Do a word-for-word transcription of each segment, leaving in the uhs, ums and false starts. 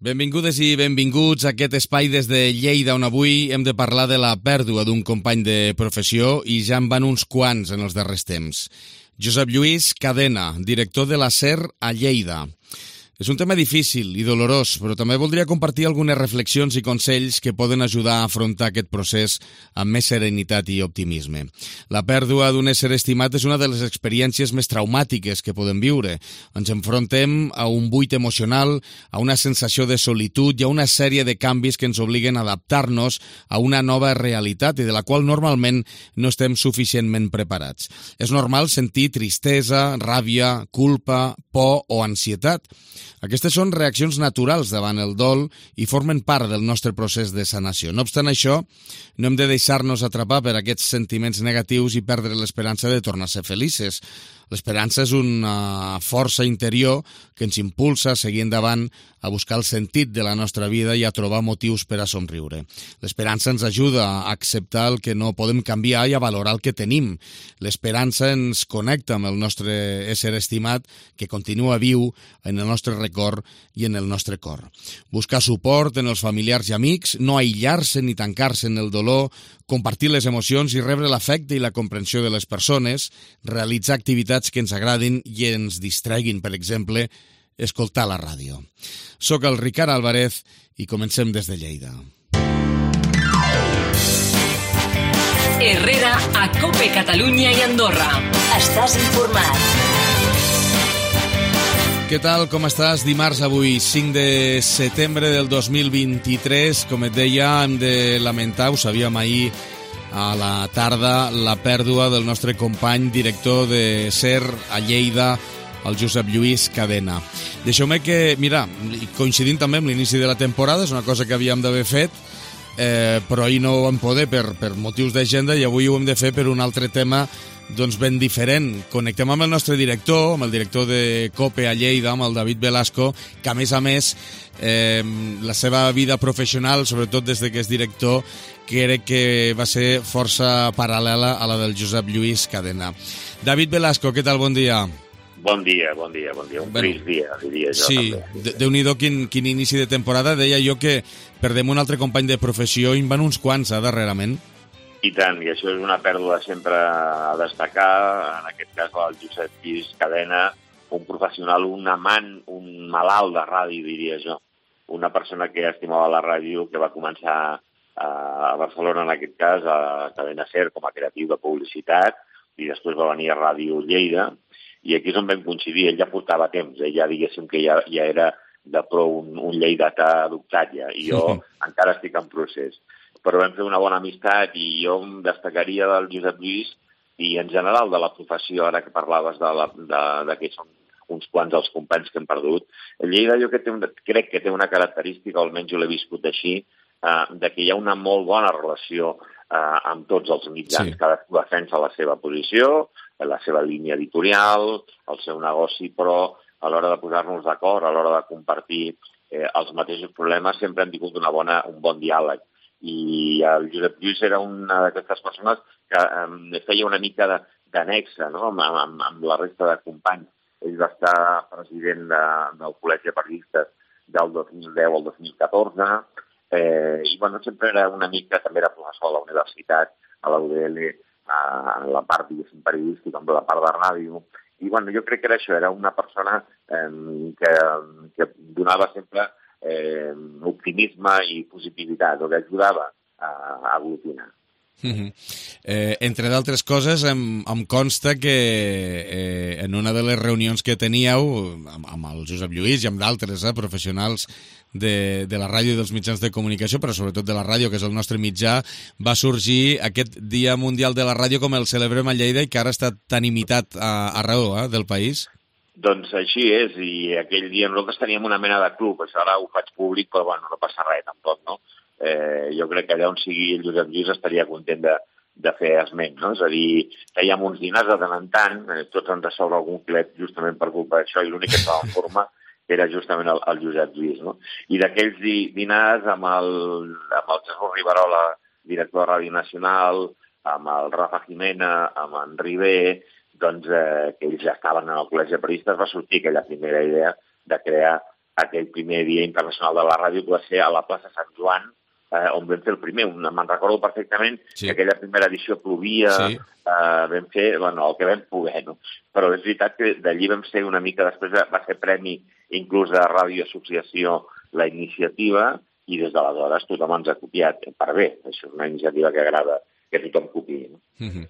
Benvingudes i benvinguts a aquest espai des de Lleida, on avui hem de parlar de la pèrdua d'un company de professió i ja en van uns quants en els darrers temps. Josep Lluís Cadena, director de la SER a Lleida. És un tema difícil i dolorós, però també voldria compartir algunes reflexions i consells que poden ajudar a afrontar aquest procés amb més serenitat i optimisme. La pèrdua d'un ésser estimat és una de les experiències més traumàtiques que podem viure. Ens enfrontem a un buit emocional, a una sensació de solitud i a una sèrie de canvis que ens obliguen a adaptar-nos a una nova realitat i de la qual normalment no estem suficientment preparats. És normal sentir tristesa, ràbia, culpa, por o ansietat. Aquestes són reaccions naturals davant el dol i formen part del nostre procés de sanació. No obstant això, no hem de deixar-nos atrapar per aquests sentiments negatius i perdre l'esperança de tornar a ser felices. L'esperança és una força interior que ens impulsa a seguir endavant, a buscar el sentit de la nostra vida i a trobar motius per a somriure. L'esperança ens ajuda a acceptar el que no podem canviar i a valorar el que tenim. L'esperança ens connecta amb el nostre ésser estimat que continua viu en el nostre record i en el nostre cor. Buscar suport en els familiars i amics, no aïllar-se ni tancar-se en el dolor, compartir les emocions i rebre l'afecte i la comprensió de les persones, realitzar activitats que ens agradin i ens distreguin, per exemple, escoltar la ràdio. Soc el Ricard Álvarez i comencem des de Lleida. Herrera a COPE Catalunya i Andorra. Estàs informat. Què tal, com estàs? Dimarts avui, cinc de setembre del dos mil vint-i-tres. Com et deia, hem de lamentar, ho sabíem ahir a la tarda, la pèrdua del nostre company director de SER a Lleida, el Josep Lluís Cadena. Deixeu-me que, mira, coincidint també amb l'inici de la temporada, és una cosa que havíem d'haver fet, eh, però ahir no ho vam poder per, per motius d'agenda i avui ho hem de fer per un altre tema doncs ben diferent. Connectem amb el nostre director, amb el director de COPE a Lleida, amb el David Velasco, que a més a més eh, la seva vida professional, sobretot des de que és director, crec que va ser força paral·lela a la del Josep Lluís Cadena. David Velasco, què tal? Bon dia. Bon dia, bon dia, bon dia. Un bueno, trist dia, diria jo. Sí, també. Déu-n'hi-do quin, quin inici de temporada. Deia jo que perdem un altre company de professió i en van uns quants, eh, darrerament. I tant, i això és una pèrdua sempre a destacar, en aquest cas el Josep Lluís Cadena, un professional, un amant, un malalt de ràdio, diria jo. Una persona que estimava la ràdio, que va començar a Barcelona, en aquest cas, a Cadena SER, com a creatiu de publicitat, i després va venir a Ràdio Lleida, i aquí és on vam coincidir. Ell ja portava temps, ell ja diguéssim que ja, ja era de prou un, un lleidatà adoptat ja, i jo encara estic en procés. Però vam fer una bona amistat i jo em destacaria del Josep Lluís i en general de la professió, ara que parlaves de, la, de, de que són uns quants els companys que hem perdut. El Lleida jo que té un, crec que té una característica, o almenys jo l'he viscut així, eh, de que hi ha una molt bona relació eh, amb tots els mitjans. Sí. Cadascú defensa la seva posició, la seva línia editorial, el seu negoci, però a l'hora de posar-nos d'acord, a l'hora de compartir eh, els mateixos problemes, sempre hem tingut una bona, un bon diàleg. I el Josep Lluís era una d'aquestes persones que eh, feia una mica d'anexa, no?, amb, amb, amb la resta de companys. Ell va estar president de, del Col·legi de Periodistes del dos mil deu al dos mil catorze, eh, i bueno, sempre era una mica, també era professor a la universitat, a la U D L, a la part, diguéssim, periodística, amb la part de ràdio. I bueno, jo crec que era això, era una persona eh, que, que donava sempre eh, optimisme i positivitat, o que ajudava a, a aglutinar. Uh-huh. Eh, entre d'altres coses, em, em consta que eh, en una de les reunions que teníeu amb, amb el Josep Lluís i amb d'altres eh, professionals de, de la ràdio i dels mitjans de comunicació, però sobretot de la ràdio, que és el nostre mitjà, va sorgir aquest Dia Mundial de la Ràdio com el celebrem a Lleida i que ara està tan imitat a, arreu eh, del país. Doncs així és, i aquell dia nosaltres teníem una mena de club, això ara ho faig públic, però bueno, no passa res tampoc, no? Eh, jo crec que allà on sigui el Josep Lluís estaria content de, de fer esment, no? És a dir, fèiem uns dinars de tant en tant, eh, tots ens sobra algun clet justament per culpa d'això, i l'únic que estava en forma era justament el, el Josep Lluís, no? I d'aquells di, dinars amb el, amb el Jesús Riverola, director de Ràdio Nacional, amb el Rafa Jimena, amb en Ribé, doncs eh, que ells ja estaven en el Col·legi de Periodistes, va sortir aquella primera idea de crear aquell primer Dia Internacional de la Ràdio, que va ser a la plaça Sant Joan, eh, on vam fer el primer. Me'n recordo perfectament sí. que aquella primera edició plovia, sí. eh, vam fer bueno, el que vam poder, no? Però és veritat que d'allí vam ser una mica, després va ser premi inclús de Ràdio Associació la iniciativa, i des d'aleshores tothom ens ha copiat per bé. Això és una iniciativa que agrada que tothom copiï. No? Mm-hmm.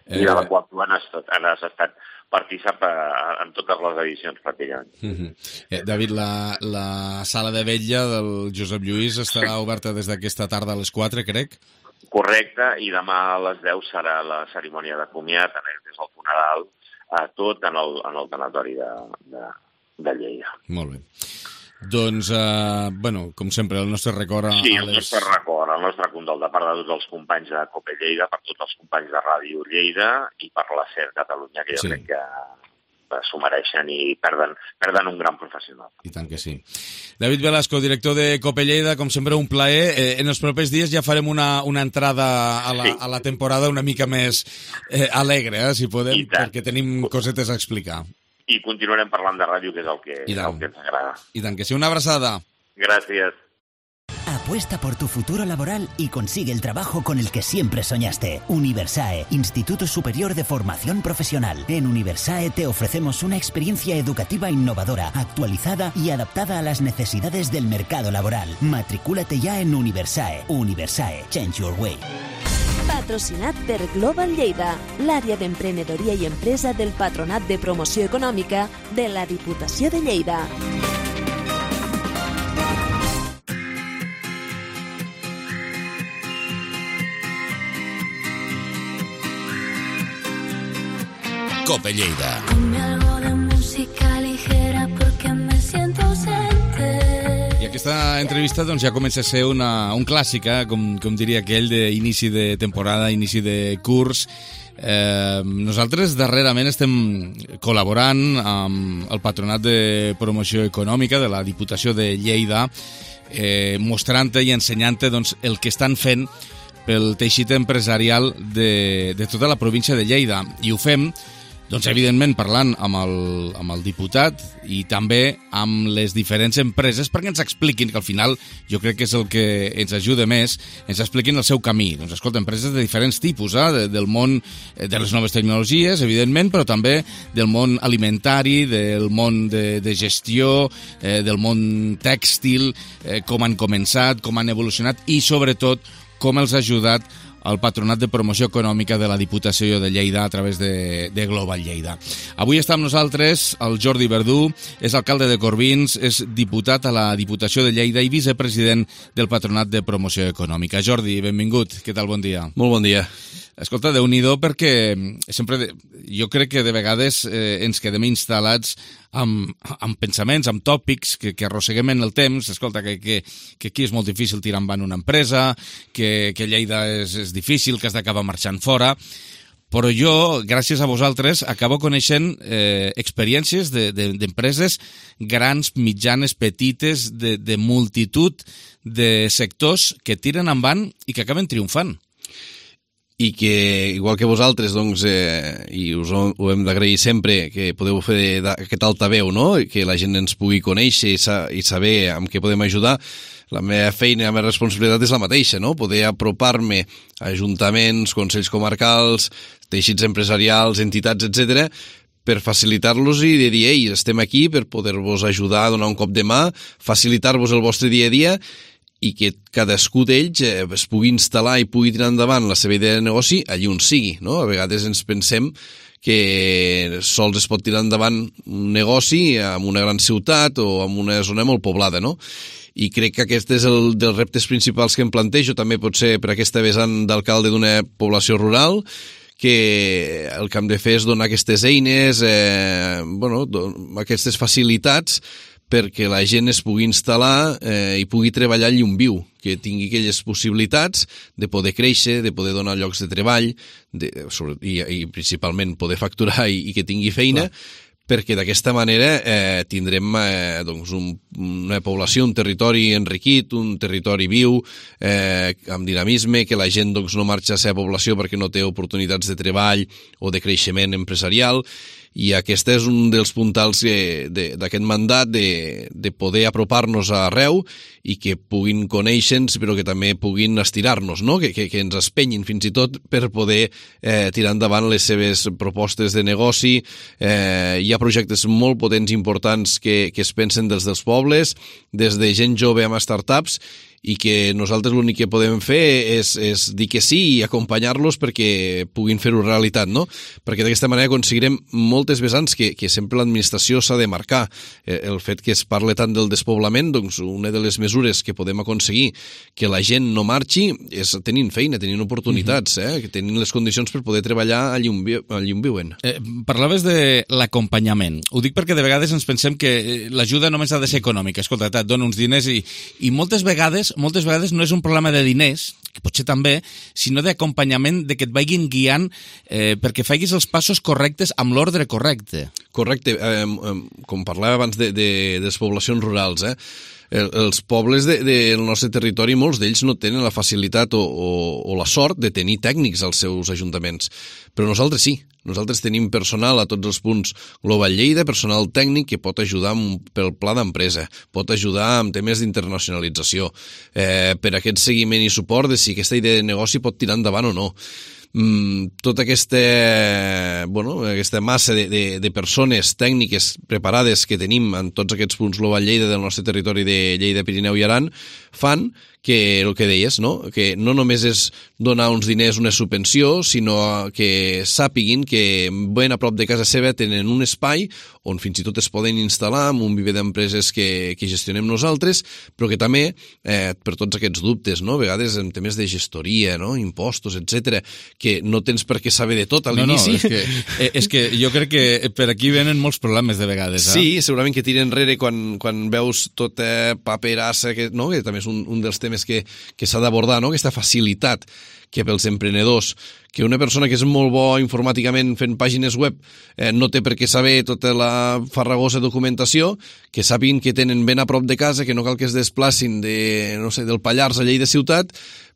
eh... I de la qual tu has, has estat partícip en totes les edicions, pràcticament. Mm-hmm. eh, David, la, la sala de vetlla del Josep Lluís estarà sí. oberta des d'aquesta tarda a les quatre, crec? Correcte, i demà a les deu serà la cerimònia de comiat, des del funeral, a tot en el, en el tanatori de, de, de Lleida. Molt bé. Doncs, eh, bueno, com sempre, el nostre record... A sí, el les... nostre record, el nostre condol de part de tots els companys de COPE Lleida, per tots els companys de Ràdio Lleida i per la SER Catalunya, que jo sí. crec que s'ho mereixen i perden, perden un gran professional. I tant que sí. David Velasco, director de COPE Lleida, com sempre, un plaer. Eh, en els propers dies ja farem una, una entrada a la, sí. a la temporada una mica més eh, alegre, eh, si podem, perquè tenim cosetes a explicar. I continuarem parlant de ràdio, que és el que, el que ens agrada. I tant que sí, una abraçada. Gracias. Apuesta por tu futuro laboral y consigue el trabajo con el que siempre soñaste. Universae, Instituto Superior de Formación Profesional. En Universae te ofrecemos una experiencia educativa innovadora, actualizada y adaptada a las necesidades del mercado laboral. Matricúlate ya en Universae. Universae, change your way. Patrocinat per Global Lleida, l'àrea d'emprenedoria i empresa del Patronat de Promoció Econòmica de la Diputació de Lleida. COPE Lleida. Ponme algo de música ligera porque me siento ausente. I aquesta entrevista doncs, ja comença a ser una, un clàssic, eh? com, com diria aquell d'inici de temporada, inici de curs. Eh, nosaltres darrerament estem col·laborant amb el Patronat de Promoció Econòmica de la Diputació de Lleida, eh, mostrant-te i ensenyant-te doncs, el que estan fent pel teixit empresarial de, de tota la província de Lleida. I ho fem doncs, evidentment, parlant amb el, amb el diputat i també amb les diferents empreses perquè ens expliquin, que al final jo crec que és el que ens ajuda més, ens expliquin el seu camí. Doncs, escolta, empreses de diferents tipus, eh? de, del món de les noves tecnologies, evidentment, però també del món alimentari, del món de, de gestió, eh, del món tèxtil, eh, com han començat, com han evolucionat i, sobretot, com els ha ajudat el Patronat de Promoció Econòmica de la Diputació de Lleida a través de, de Global Lleida. Avui està amb nosaltres el Jordi Verdú, és alcalde de Corbins, és diputat a la Diputació de Lleida i vicepresident del Patronat de Promoció Econòmica. Jordi, benvingut. Què tal? Bon dia. Molt bon dia. Escolta, Déu-n'hi-do, perquè sempre de, jo crec que de vegades eh, ens quedem instal·lats amb, amb pensaments, amb tòpics que, que arrosseguem en el temps. Escolta, que, que, que aquí és molt difícil tirar endavant una empresa, que, que Lleida és, és difícil, que has d'acabar marxant fora. Però jo, gràcies a vosaltres, acabo coneixent eh, experiències de, de, d'empreses grans, mitjanes, petites, de, de multitud de sectors que tiren endavant i que acaben triomfant. I que, igual que vosaltres, doncs, eh, i us ho, ho hem d'agrair sempre, que podeu fer aquest altaveu, no? Que la gent ens pugui conèixer i, sa i saber amb què podem ajudar. La meva feina i la meva responsabilitat és la mateixa, no? Poder apropar-me a ajuntaments, consells comarcals, teixits empresarials, entitats, etcètera, per facilitar-los i de dir, ei, estem aquí per poder-vos ajudar, donar un cop de mà, facilitar-vos el vostre dia a dia i que cadascú d'ells eh, es pugui instal·lar i pugui tirar endavant la seva idea de negoci allí on sigui, no? A vegades ens pensem que sols es pot tirar endavant un negoci en una gran ciutat o en una zona molt poblada, no? I crec que aquest és el dels reptes principals que em plantejo, també pot ser per aquesta vessant d'alcalde d'una població rural, que el que hem de fer és donar aquestes eines, eh, bueno, aquestes facilitats perquè la gent es pugui instal·lar eh, i pugui treballar allà on viu, que tingui aquelles possibilitats de poder créixer, de poder donar llocs de treball de, sobre, i, i principalment poder facturar i, i que tingui feina, clar, perquè d'aquesta manera eh, tindrem eh, doncs un, una població, un territori enriquit, un territori viu, eh, amb dinamisme, que la gent doncs, no marxa a la seva població perquè no té oportunitats de treball o de creixement empresarial, i aquest és un dels puntals d'aquest mandat de, de poder apropar-nos arreu i que puguin conèixer-nos però que també puguin estirar-nos, no? que, que, que ens espenyin fins i tot per poder eh, tirar endavant les seves propostes de negoci. Eh, hi ha projectes molt potents i importants que, que es pensen dels dels pobles, des de gent jove amb startups, i que nosaltres l'únic que podem fer és, és dir que sí i acompanyar-los perquè puguin fer-ho realitat, no? Perquè d'aquesta manera aconseguirem moltes vessants que, que sempre l'administració s'ha de marcar. El fet que es parle tant del despoblament, doncs una de les mesures que podem aconseguir que la gent no marxi és tenint feina, tenint oportunitats, eh? que tenint les condicions per poder treballar allí on, vi allí on viuen. Eh, parlaves de l'acompanyament. Ho dic perquè de vegades ens pensem que l'ajuda només ha de ser econòmica. Escolta, et dono uns diners i, i moltes vegades moltes vegades no és un problema de diners, que potser també, sinó d'acompanyament, de que et vagin guiant eh, perquè facis els passos correctes amb l'ordre correcte. Correcte. Eh, eh, com parlava abans de, de, de les poblacions rurals, eh? El, els pobles del de, de nostre territori, molts d'ells no tenen la facilitat o, o, o la sort de tenir tècnics als seus ajuntaments, però nosaltres sí. Nosaltres tenim personal a tots els punts Global Lleida, personal tècnic que pot ajudar amb, pel pla d'empresa, pot ajudar amb temes d'internacionalització, eh, per aquest seguiment i suport de si aquesta idea de negoci pot tirar endavant o no. Mm, tota aquesta, bueno, aquesta massa de, de, de persones tècniques preparades que tenim en tots aquests punts Global Lleida del nostre territori de Lleida, Pirineu i Aran fan que el que deies, no? Que no només és donar uns diners, una subvenció, sinó que sàpiguin que ben a prop de casa seva tenen un espai on fins i tot es poden instal·lar amb un viver d'empreses que, que gestionem nosaltres, però que també, eh, per tots aquests dubtes, no? A vegades en temes de gestoria, no? Impostos, etcètera, que no tens per què saber de tot a l'inici. No, no, és que, és que jo crec que per aquí venen molts problemes de vegades. Eh? Sí, segurament que tira enrere quan, quan veus tota paperassa, que, no? Que també és un, un dels temes que, que s'ha d'abordar, no? Aquesta facilitat que pels emprenedors, que una persona que és molt bo informàticament fent pàgines web eh, no té per què saber tota la farragosa documentació, que sàpiguen que tenen ben a prop de casa, que no cal que es desplacin de, no sé, del Pallars a Lleida ciutat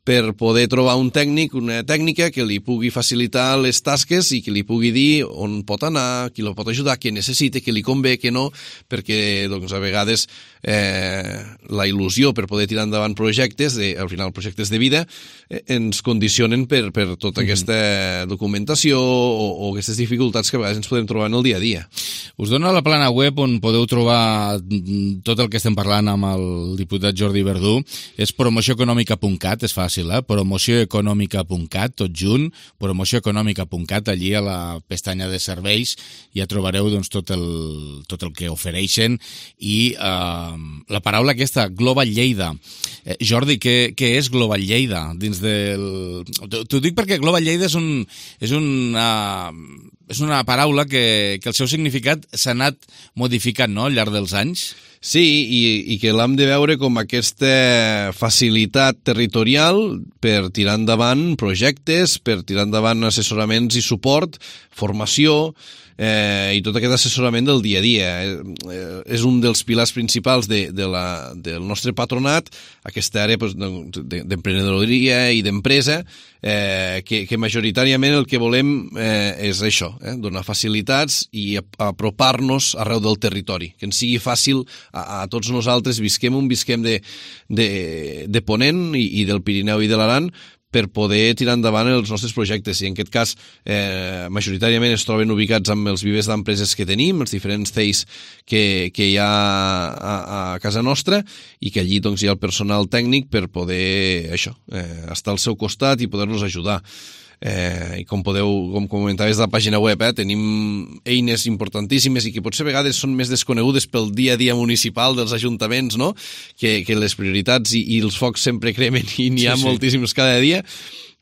per poder trobar un tècnic, una tècnica que li pugui facilitar les tasques i que li pugui dir on pot anar, qui lo pot ajudar, què necessita, què li convé, què no, perquè doncs, a vegades eh, la il·lusió per poder tirar endavant projectes, de, al final projectes de vida, eh, ens condicionen per, per tota mm-hmm. aquesta documentació o, o aquestes dificultats que a vegades ens podem trobar en el dia a dia. Us dono la plana web on podeu trobar tot el que estem parlant amb el diputat Jordi Verdú. És promoció econòmica punt cat, és fàcil, eh? promoció econòmica punt cat, tot junt, promoció econòmica punt cat, allí a la pestanya de serveis ja trobareu doncs, tot, el, tot el que ofereixen i eh, la paraula aquesta, Global Lleida. Eh, Jordi, què, què és Global Lleida? Dins del... T'ho dic perquè Global Lleida és, un, és, una, és una paraula que, que el seu significat s'ha anat modificant, no?, al llarg dels anys. Sí, i, i que l'hem de veure com aquesta facilitat territorial per tirar endavant projectes, per tirar endavant assessoraments i suport, formació, eh, i tot aquest assessorament del dia a dia. Eh, és un dels pilars principals de, de la, del nostre patronat, aquesta àrea pues, d'emprenedoria i d'empresa, eh, que, que majoritàriament el que volem eh, és això, eh, donar facilitats i apropar-nos arreu del territori, que ens sigui fàcil a, a tots nosaltres, visquem on visquem de, de, de Ponent i, i del Pirineu i de l'Aran, per poder tirar endavant els nostres projectes. I en aquest cas, eh, majoritàriament es troben ubicats amb els vivers d'empreses que tenim, els diferents C E Is que, que hi ha a, a casa nostra, i que allí doncs, hi ha el personal tècnic per poder això, eh, estar al seu costat i poder-los ajudar. Eh, i com podeu, com comentaves de la pàgina web, eh, tenim eines importantíssimes i que potser a vegades són més desconegudes pel dia a dia municipal dels ajuntaments, no? Que, que les prioritats i, i els focs sempre cremen i n'hi ha sí, sí. moltíssims cada dia,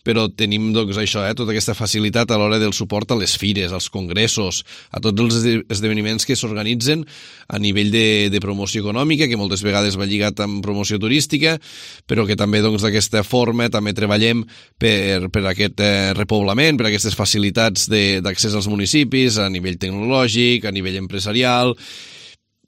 però tenim doncs, això, eh, tota aquesta facilitat a l'hora del suport a les fires, als congressos, a tots els esdeveniments que s'organitzen a nivell de, de promoció econòmica, que moltes vegades va lligat amb promoció turística, però que també doncs, d'aquesta forma també treballem per, per aquest eh, repoblament, per aquestes facilitats d'accés als municipis, a nivell tecnològic, a nivell empresarial,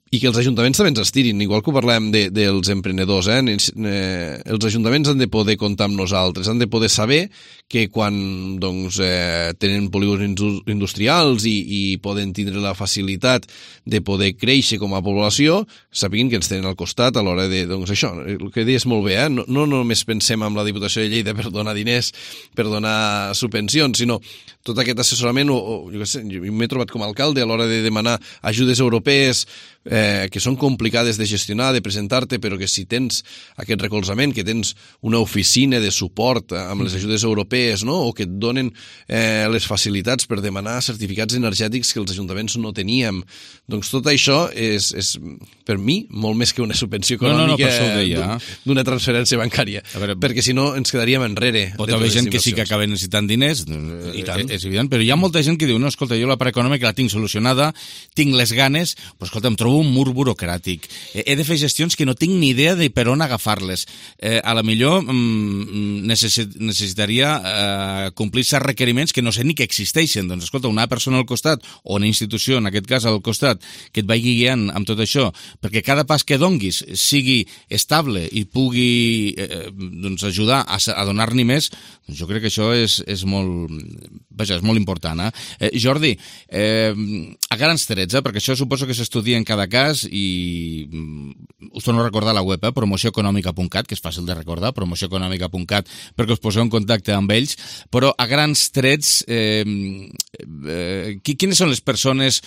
i que els ajuntaments també ens estirin, igual que ho parlem de, dels emprenedors, eh? eh? Els ajuntaments han de poder comptar amb nosaltres, han de poder saber que quan doncs, eh, tenen polígons industrials i, i poden tindre la facilitat de poder créixer com a població, sapiguin que ens tenen al costat a l'hora de, doncs això, el que deies molt bé, eh? no, no només pensem en la Diputació de Lleida per donar diners, per donar subvencions, sinó tot aquest assessorament, o, o jo què sé, jo m'he trobat com a alcalde a l'hora de demanar ajudes europees, eh, que són complicades de gestionar, de presentar-te, però que si tens aquest recolzament, que tens una oficina de suport amb les ajudes europees, no? O que et donen eh, les facilitats per demanar certificats energètics que els ajuntaments no teníem, doncs tot això és, és per mi, molt més que una subvenció econòmica no, no, d'una transferència bancària, veure, perquè si no ens quedaríem enrere. Pot haver gent que sí que acaba necessitant diners, I tant. És evident, però hi ha molta gent que diu, no, escolta, jo la part econòmica la tinc solucionada, tinc les ganes, però escolta, em trobo un mur burocràtic, he de fer gestions que no tinc ni idea de per on agafar-les, eh, a la millor mm, necessit, necessitaria eh, complir certs requeriments que no sé ni que existeixen, doncs escolta, una persona al costat, o una institució, en aquest cas al costat, que et vagi guiant amb tot això, perquè cada pas que donguis sigui estable i pugui eh, doncs ajudar a, a donar-n'hi més, doncs jo crec que això és, és molt, vaja, és molt important. Eh? Eh, Jordi, eh, a grans trets, eh, perquè això suposo que s'estudia en cada cas i mm, us torno a recordar la web, eh, promoció econòmica punt cat, que és fàcil de recordar, promoció econòmica punt cat, perquè us poseu en contacte amb ells, però a grans trets, eh, eh, quines són les persones,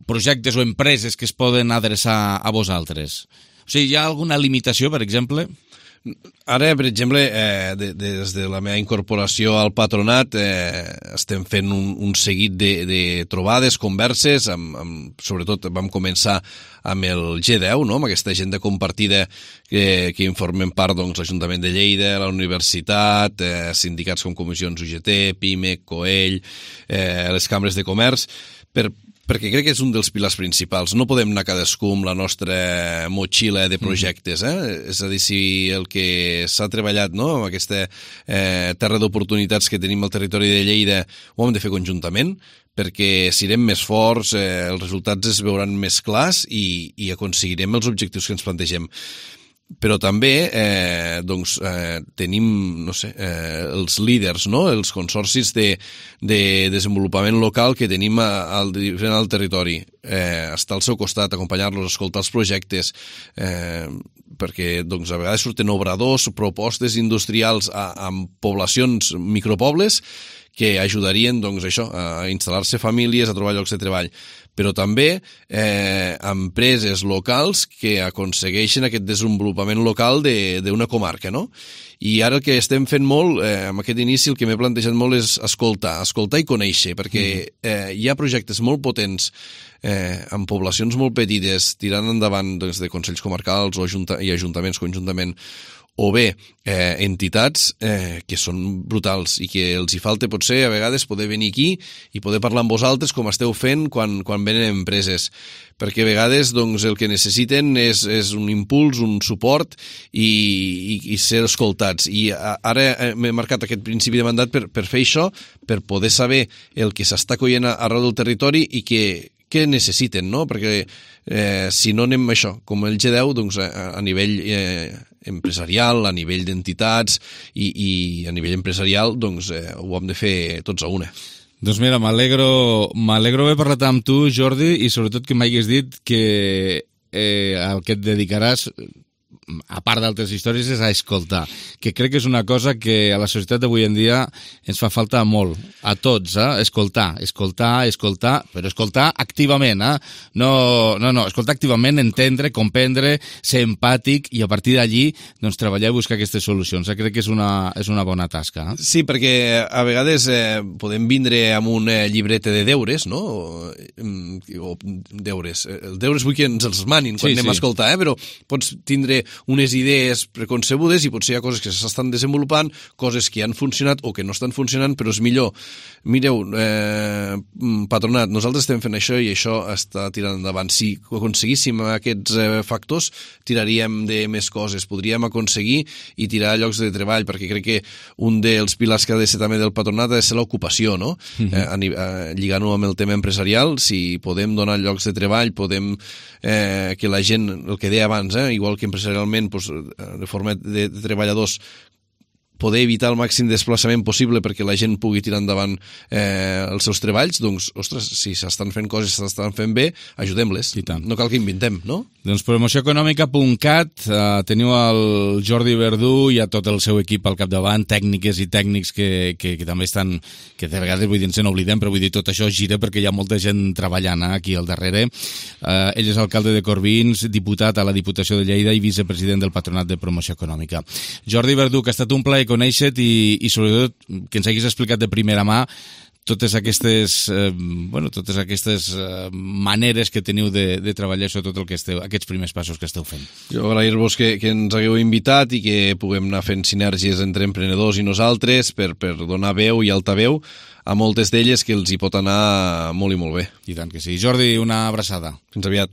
projectes o empreses que es poden adreçar a vosaltres? O sigui, hi ha alguna limitació, per exemple? Ara, per exemple, eh, de, des de la meva incorporació al patronat eh, estem fent un, un seguit de, de trobades, converses, amb, amb, sobretot vam començar amb el G deu, no? Amb aquesta agenda compartida que, que informen part doncs, l'Ajuntament de Lleida, la Universitat, eh, sindicats com Comissions U G T, PIMEC, COEL, eh, les cambres de comerç, per perquè crec que és un dels pilars principals. No podem anar cadascú amb la nostra motxilla de projectes, eh? Mm. És a dir, si el que s'ha treballat, no?, amb aquesta eh, terra d'oportunitats que tenim al territori de Lleida ho hem de fer conjuntament, perquè serem més forts, eh, els resultats es veuran més clars i, i aconseguirem els objectius que ens plantegem. Però també eh, doncs, eh, tenim no sé, eh, els líders, no? Els consorcis de, de desenvolupament local que tenim al, al territori. Eh, estar al seu costat, acompanyar-los, escoltar els projectes, eh, perquè doncs, a vegades surten obradors, propostes industrials a, a poblacions, micropobles, que ajudarien doncs, això, a instal·lar-se famílies, a trobar llocs de treball, però també eh, empreses locals que aconsegueixen aquest desenvolupament local d'una comarca, no? I ara el que estem fent molt, eh, amb aquest inici, el que m'he plantejat molt és escoltar, escoltar i conèixer, perquè eh, hi ha projectes molt potents eh, en poblacions molt petites, tirant endavant doncs, de consells comarcals o ajunta i ajuntaments conjuntament, o bé eh, entitats eh, que són brutals i que els hi falta potser a vegades poder venir aquí i poder parlar amb vosaltres com esteu fent quan, quan venen empreses, perquè a vegades doncs, el que necessiten és, és un impuls, un suport i, i, i ser escoltats. I ara m'he marcat aquest principi de mandat per, per fer això, per poder saber el que s'està coient arreu del territori i que què necessiten, no? Perquè eh, si no anem això, com el G deu, doncs a, a nivell eh, empresarial, a nivell d'entitats i, i a nivell empresarial, doncs eh, ho hem de fer tots a una. Doncs mira, m'alegro m'alegro haver parlat amb tu, Jordi, i sobretot que m'hagués dit que eh, el que et dedicaràs, a part d'altres històries, és a escoltar, que crec que és una cosa que a la societat d'avui en dia ens fa falta molt, a tots, eh? escoltar, escoltar, escoltar, però escoltar activament, eh? no, no, no, escoltar activament, entendre, comprendre, ser empàtic i a partir d'allí doncs, treballar i buscar aquestes solucions. Eh? Crec que és una, és una bona tasca. Eh? Sí, perquè a vegades eh, podem vindre amb un eh, llibreta de deures, no? O, o deures. Els deures vull que ens els manin quan sí, anem sí. a escoltar, eh? Però pots tindre unes idees preconcebudes i potser hi ha coses que s'estan desenvolupant, coses que han funcionat o que no estan funcionant, però és millor. Mireu, eh, patronat, nosaltres estem fent això i això està tirant endavant. Si aconseguíssim aquests eh, factors, tiraríem de més coses, podríem aconseguir i tirar llocs de treball, perquè crec que un dels pilars que ha de ser també del patronat ha de ser l'ocupació, no? Mm-hmm. eh, eh, lligant-ho amb el tema empresarial, si podem donar llocs de treball, podem eh, que la gent, el que deia abans, eh, igual que empresarialment, doncs, de forma de, de treballadors, poder evitar el màxim desplaçament possible perquè la gent pugui tirar endavant eh, els seus treballs, doncs, ostres, si s'estan fent coses, s'estan fent bé, ajudem-les. No cal que inventem, no? Doncs promoció econòmica punt cat, eh, teniu el Jordi Verdú i a tot el seu equip al capdavant, tècniques i tècnics que, que, que també estan, que de vegades vull dir, ens n'oblidem, però vull dir, tot això gira perquè hi ha molta gent treballant eh, aquí al darrere. Eh, ell és alcalde de Corbins, diputat a la Diputació de Lleida i vicepresident del Patronat de Promoció Econòmica. Jordi Verdú, que ha estat un plaer conèixer-te i, i sobretot que ens haguis explicat de primera mà totes aquestes, eh, bueno, totes aquestes eh, maneres que teniu de, de treballar, sobretot el que esteu, aquests primers passos que esteu fent. Jo agrair-vos que, que ens hagueu invitat i que puguem anar fent sinergies entre emprenedors i nosaltres per, per donar veu i altaveu a moltes d'elles que els hi pot anar molt i molt bé. I tant que sí. Jordi, una abraçada. Fins aviat.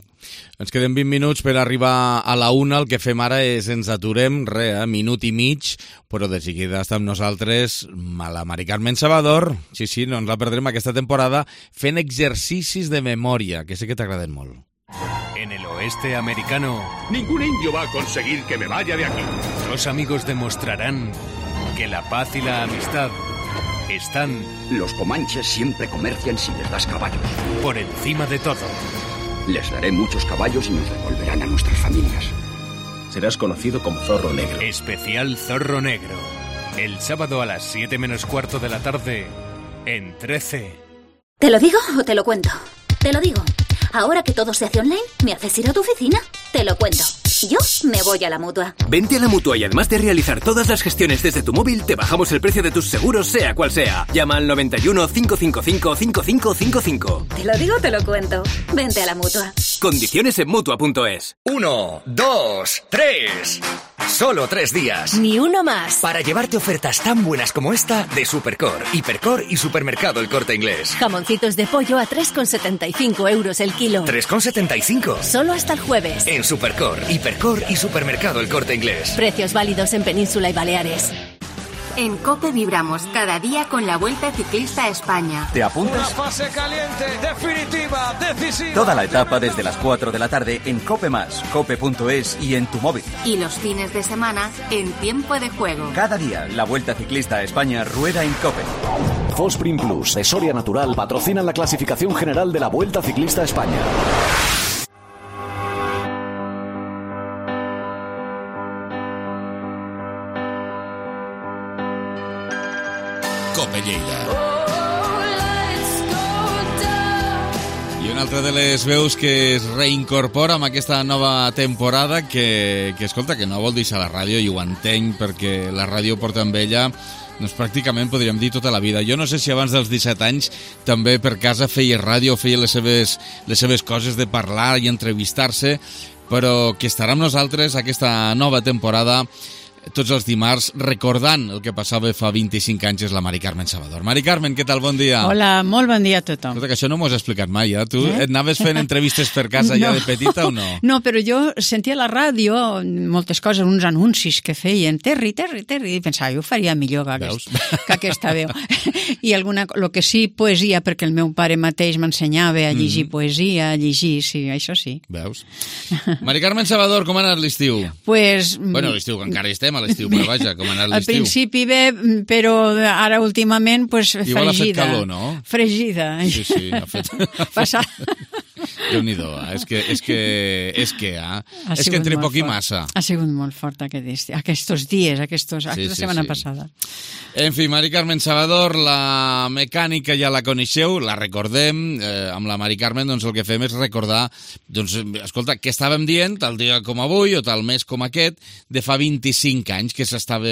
Ens queden vint minuts per arribar a la una. El que fem ara és ens aturem, re, eh, minut i mig, però de seguida està amb nosaltres la Mari Carmen Salvador. Sí, sí, no ens la perdrem aquesta temporada fent exercicis de memòria, que sé que t'agraden molt. En el oeste americano, ningún indio va a conseguir que me vaya de aquí. Los amigos demostrarán que la paz y la amistad están... Los comanches siempre comercian si les das caballos. Por encima de todo. Les daré muchos caballos y nos devolverán a nuestras familias. Serás conocido como Zorro Negro. Especial Zorro Negro. El sábado a las siete menos cuarto de la tarde en trece. ¿Te lo digo o te lo cuento? Te lo digo. Ahora que todo se hace online, ¿me haces ir a tu oficina? Te lo cuento. Yo me voy a la Mutua. Vente a la Mutua y además de realizar todas las gestiones desde tu móvil, te bajamos el precio de tus seguros, sea cual sea. Llama al noventa y uno, cinco cinco cinco, cinco cinco cinco cinco. Te lo digo, te lo cuento. Vente a la Mutua. Condiciones en Mutua punto es. Uno, dos, tres. Solo tres días. Ni uno más. Para llevarte ofertas tan buenas como esta de Supercor, Hipercor y Supermercado El Corte Inglés. Jamoncitos de pollo a tres con setenta y cinco euros el kilo. tres con setenta y cinco. Solo hasta el jueves. En Supercor, Hipercor y Supermercado El Corte Inglés. Precios válidos en Península y Baleares. En COPE vibramos cada día con la Vuelta Ciclista a España. ¿Te apuntas? Una fase caliente, definitiva, decisiva. Toda la etapa desde las cuatro de la tarde en COPE más, cope punto es y en tu móvil. Y los fines de semana en Tiempo de Juego. Cada día la Vuelta Ciclista a España rueda en COPE. Fosprin Plus de Soria Natural patrocinan la clasificación general de la Vuelta Ciclista a España. Cope Lleida. I una altra de les veus que es reincorpora amb aquesta nova temporada que, que escolta, que no vol deixar la ràdio, i ho entenc perquè la ràdio porta amb ella doncs pràcticament podríem dir tota la vida. Jo no sé si abans dels disset anys també per casa feia ràdio, feia les seves, les seves coses de parlar i entrevistar-se, però que estarà amb nosaltres aquesta nova temporada tots els dimarts recordant el que passava fa vint-i-cinc anys, és la Mari Carmen Salvador. Mari Carmen, què tal? Bon dia. Hola, molt bon dia a tothom. Escolta, que això no m'ho has explicat mai, eh? Tu eh? et anaves fent entrevistes per casa no. ja de petita o no? No, però jo sentia a la ràdio moltes coses, uns anuncis que feien, Terri, Terri, Terri, i pensava, jo ho faria millor que, aquest, que aquesta veu. I alguna, el que sí, poesia, perquè el meu pare mateix m'ensenyava a llegir mm. poesia, a llegir, sí, això sí. Veus? Mari Carmen Salvador, com ha anat l'estiu? Pues... Bueno, l'estiu, que encara hi estem a l'estiu, però vaja, com ha anat l'estiu? Al principi bé, però ara últimament, pues, fregida. Igual ha fet calor, no? Fregida. Sí, sí, ha fet... Passar... Déu-n'hi-do, eh? és que, és que, és que, eh? és que entre poc i massa. Ha sigut molt fort aquest, aquests dies, aquestos, sí, aquesta sí, setmana sí. passada. En fi, Mari Carmen Salvador, la mecànica ja la coneixeu, la recordem, eh, amb la Mari Carmen doncs el que fem és recordar, doncs, escolta, què estàvem dient tal dia com avui o tal mes com aquest, de fa vint-i-cinc anys, que s'estava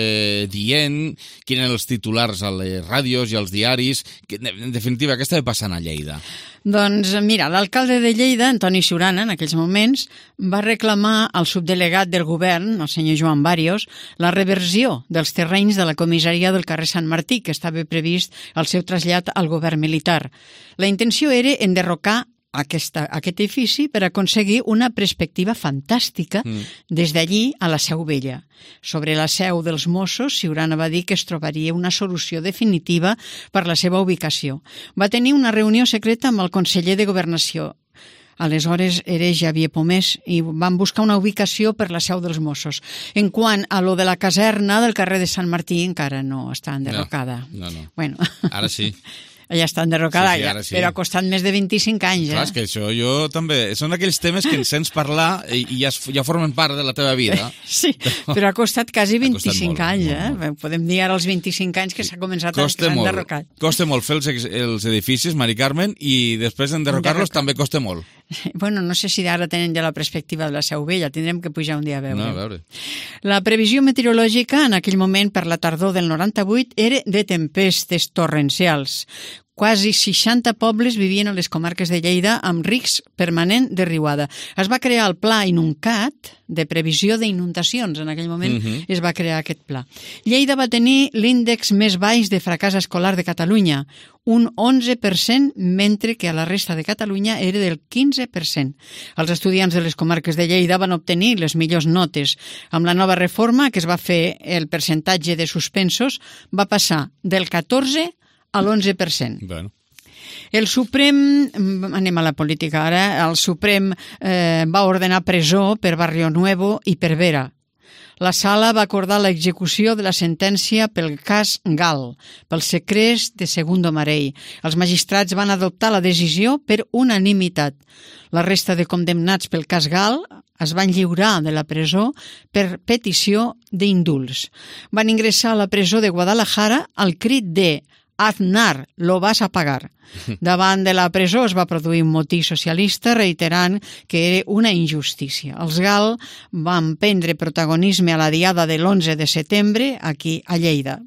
dient, quins eren els titulars a les ràdios i als diaris, que, en definitiva, què estava passant a Lleida? Doncs mira, l'alcalde de Lleida Lleida, Antoni Siurana, en aquells moments, va reclamar al subdelegat del govern, el senyor Joan Bàrios, la reversió dels terrenys de la comissaria del carrer Sant Martí, que estava previst el seu trasllat al govern militar. La intenció era enderrocar Aquesta, aquest edifici per aconseguir una perspectiva fantàstica mm. des d'allí a la Seu Vella. Sobre la seu dels Mossos, Siurana va dir que es trobaria una solució definitiva per la seva ubicació. Va tenir una reunió secreta amb el conseller de Governació. Aleshores era Xavier Pomés i van buscar una ubicació per la seu dels Mossos. En quant a lo de la caserna del carrer de Sant Martí, encara no està enderrocada. No, no, no. Bueno. Ara sí. Ja està enderrocada, sí, sí, sí. Però ha costat més de vint-i-cinc anys. Clar, eh? és que això jo també... Són aquells temes que ens sents parlar i, i ja, ja formen part de la teva vida. Sí, però ha costat quasi vint-i-cinc molt, anys. molt, eh? molt. Podem dir ara els vint-i-cinc anys que s'ha començat a costa molt, enderrocat. Costa molt fer els, els edificis, Mari Carmen, i després d'enderrocar-los també costa molt. Bueno, no sé si ara tenen ja la perspectiva de la Seu Vella, tindrem que pujar un dia a veure. No, a veure. La previsió meteorològica en aquell moment per la tardor del noranta-vuit era de tempestes torrencials. Quasi seixanta pobles vivien a les comarques de Lleida amb risc permanent de riuada. Es va crear el Pla Inuncat de previsió d'inundacions. En aquell moment uh-huh. es va crear aquest pla. Lleida va tenir l'índex més baix de fracàs escolar de Catalunya, un onze per cent, mentre que a la resta de Catalunya era del quinze per cent. Els estudiants de les comarques de Lleida van obtenir les millors notes. Amb la nova reforma que es va fer, el percentatge de suspensos va passar del catorze a l'onze per cent. Bueno. El Suprem, anem a la política ara, el Suprem eh, va ordenar presó per Barrio Nuevo i per Vera. La sala va acordar l'execució de la sentència pel cas Gal, pel segrest de Segundo Marell. Els magistrats van adoptar la decisió per unanimitat. La resta de condemnats pel cas Gal es van lliurar de la presó per petició d'indults. Van ingressar a la presó de Guadalajara al crit de Aznar, lo vas a pagar. Davant de la presó es va produir un motí socialista reiterant que era una injustícia. Els Gal van prendre protagonisme a la diada de l'onze de setembre aquí a Lleida.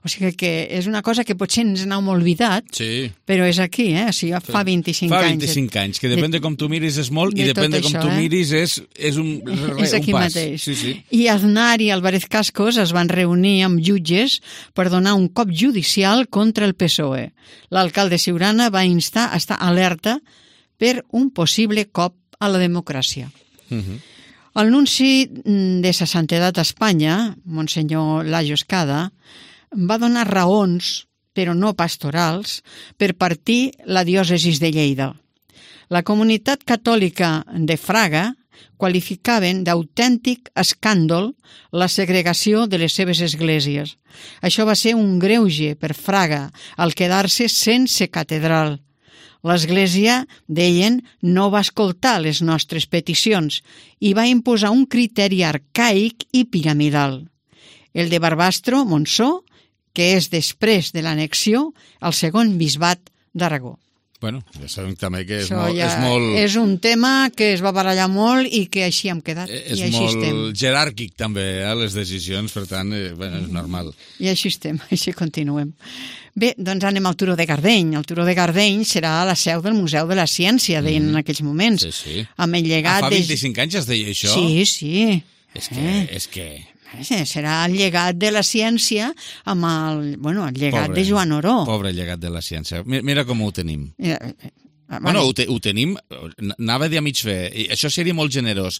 O sigui que és una cosa que potser ens n'hem oblidat, sí. però és aquí, eh? O sigui, fa vint-i-cinc anys. Fa vint-i-cinc anys, que depèn de, de com tu miris és molt i depèn de com això, tu eh? miris és, és un, re, és aquí un pas. Mateix. Sí, sí. I Aznar i Álvarez Cascos es van reunir amb jutges per donar un cop judicial contra el P S O E. L'alcalde Siurana va instar a estar alerta per un possible cop a la democràcia. Uh-huh. El nunci de Sa Santedat a Espanya, Monsenyor Lajos Cada, va donar raons, però no pastorals, per partir la diòcesis de Lleida. La comunitat catòlica de Fraga qualificaven d'autèntic escàndol la segregació de les seves esglésies. Això va ser un greuge per Fraga al quedar-se sense catedral. L'Església, deien, no va escoltar les nostres peticions i va imposar un criteri arcaic i piramidal. El de Barbastro, Montsó, que és després de l'annexió al segon bisbat d'Aragó. Bueno, ja sabem també que és, Això molt, ja és molt... És un tema que es va barallar molt i que així hem quedat. És I així molt estem. jeràrquic també, eh, les decisions, per tant, eh, bueno, és normal. I així estem, així continuem. Bé, doncs anem al Turó de Gardeny. El Turó de Gardeny serà la seu del Museu de la Ciència, deien mm. en aquells moments. Sí, sí. Amb el llegat ah, fa vint-i-cinc de... anys es deia això? Sí, sí. És que... Eh? És que... Serà el llegat de la ciència amb el, bueno, el llegat pobre, de Joan Oró. Pobre llegat de la ciència. Mira, mira com ho tenim. Mira, Bueno, ho, te, ho tenim, anava a dir a mig fer, i això seria molt generós.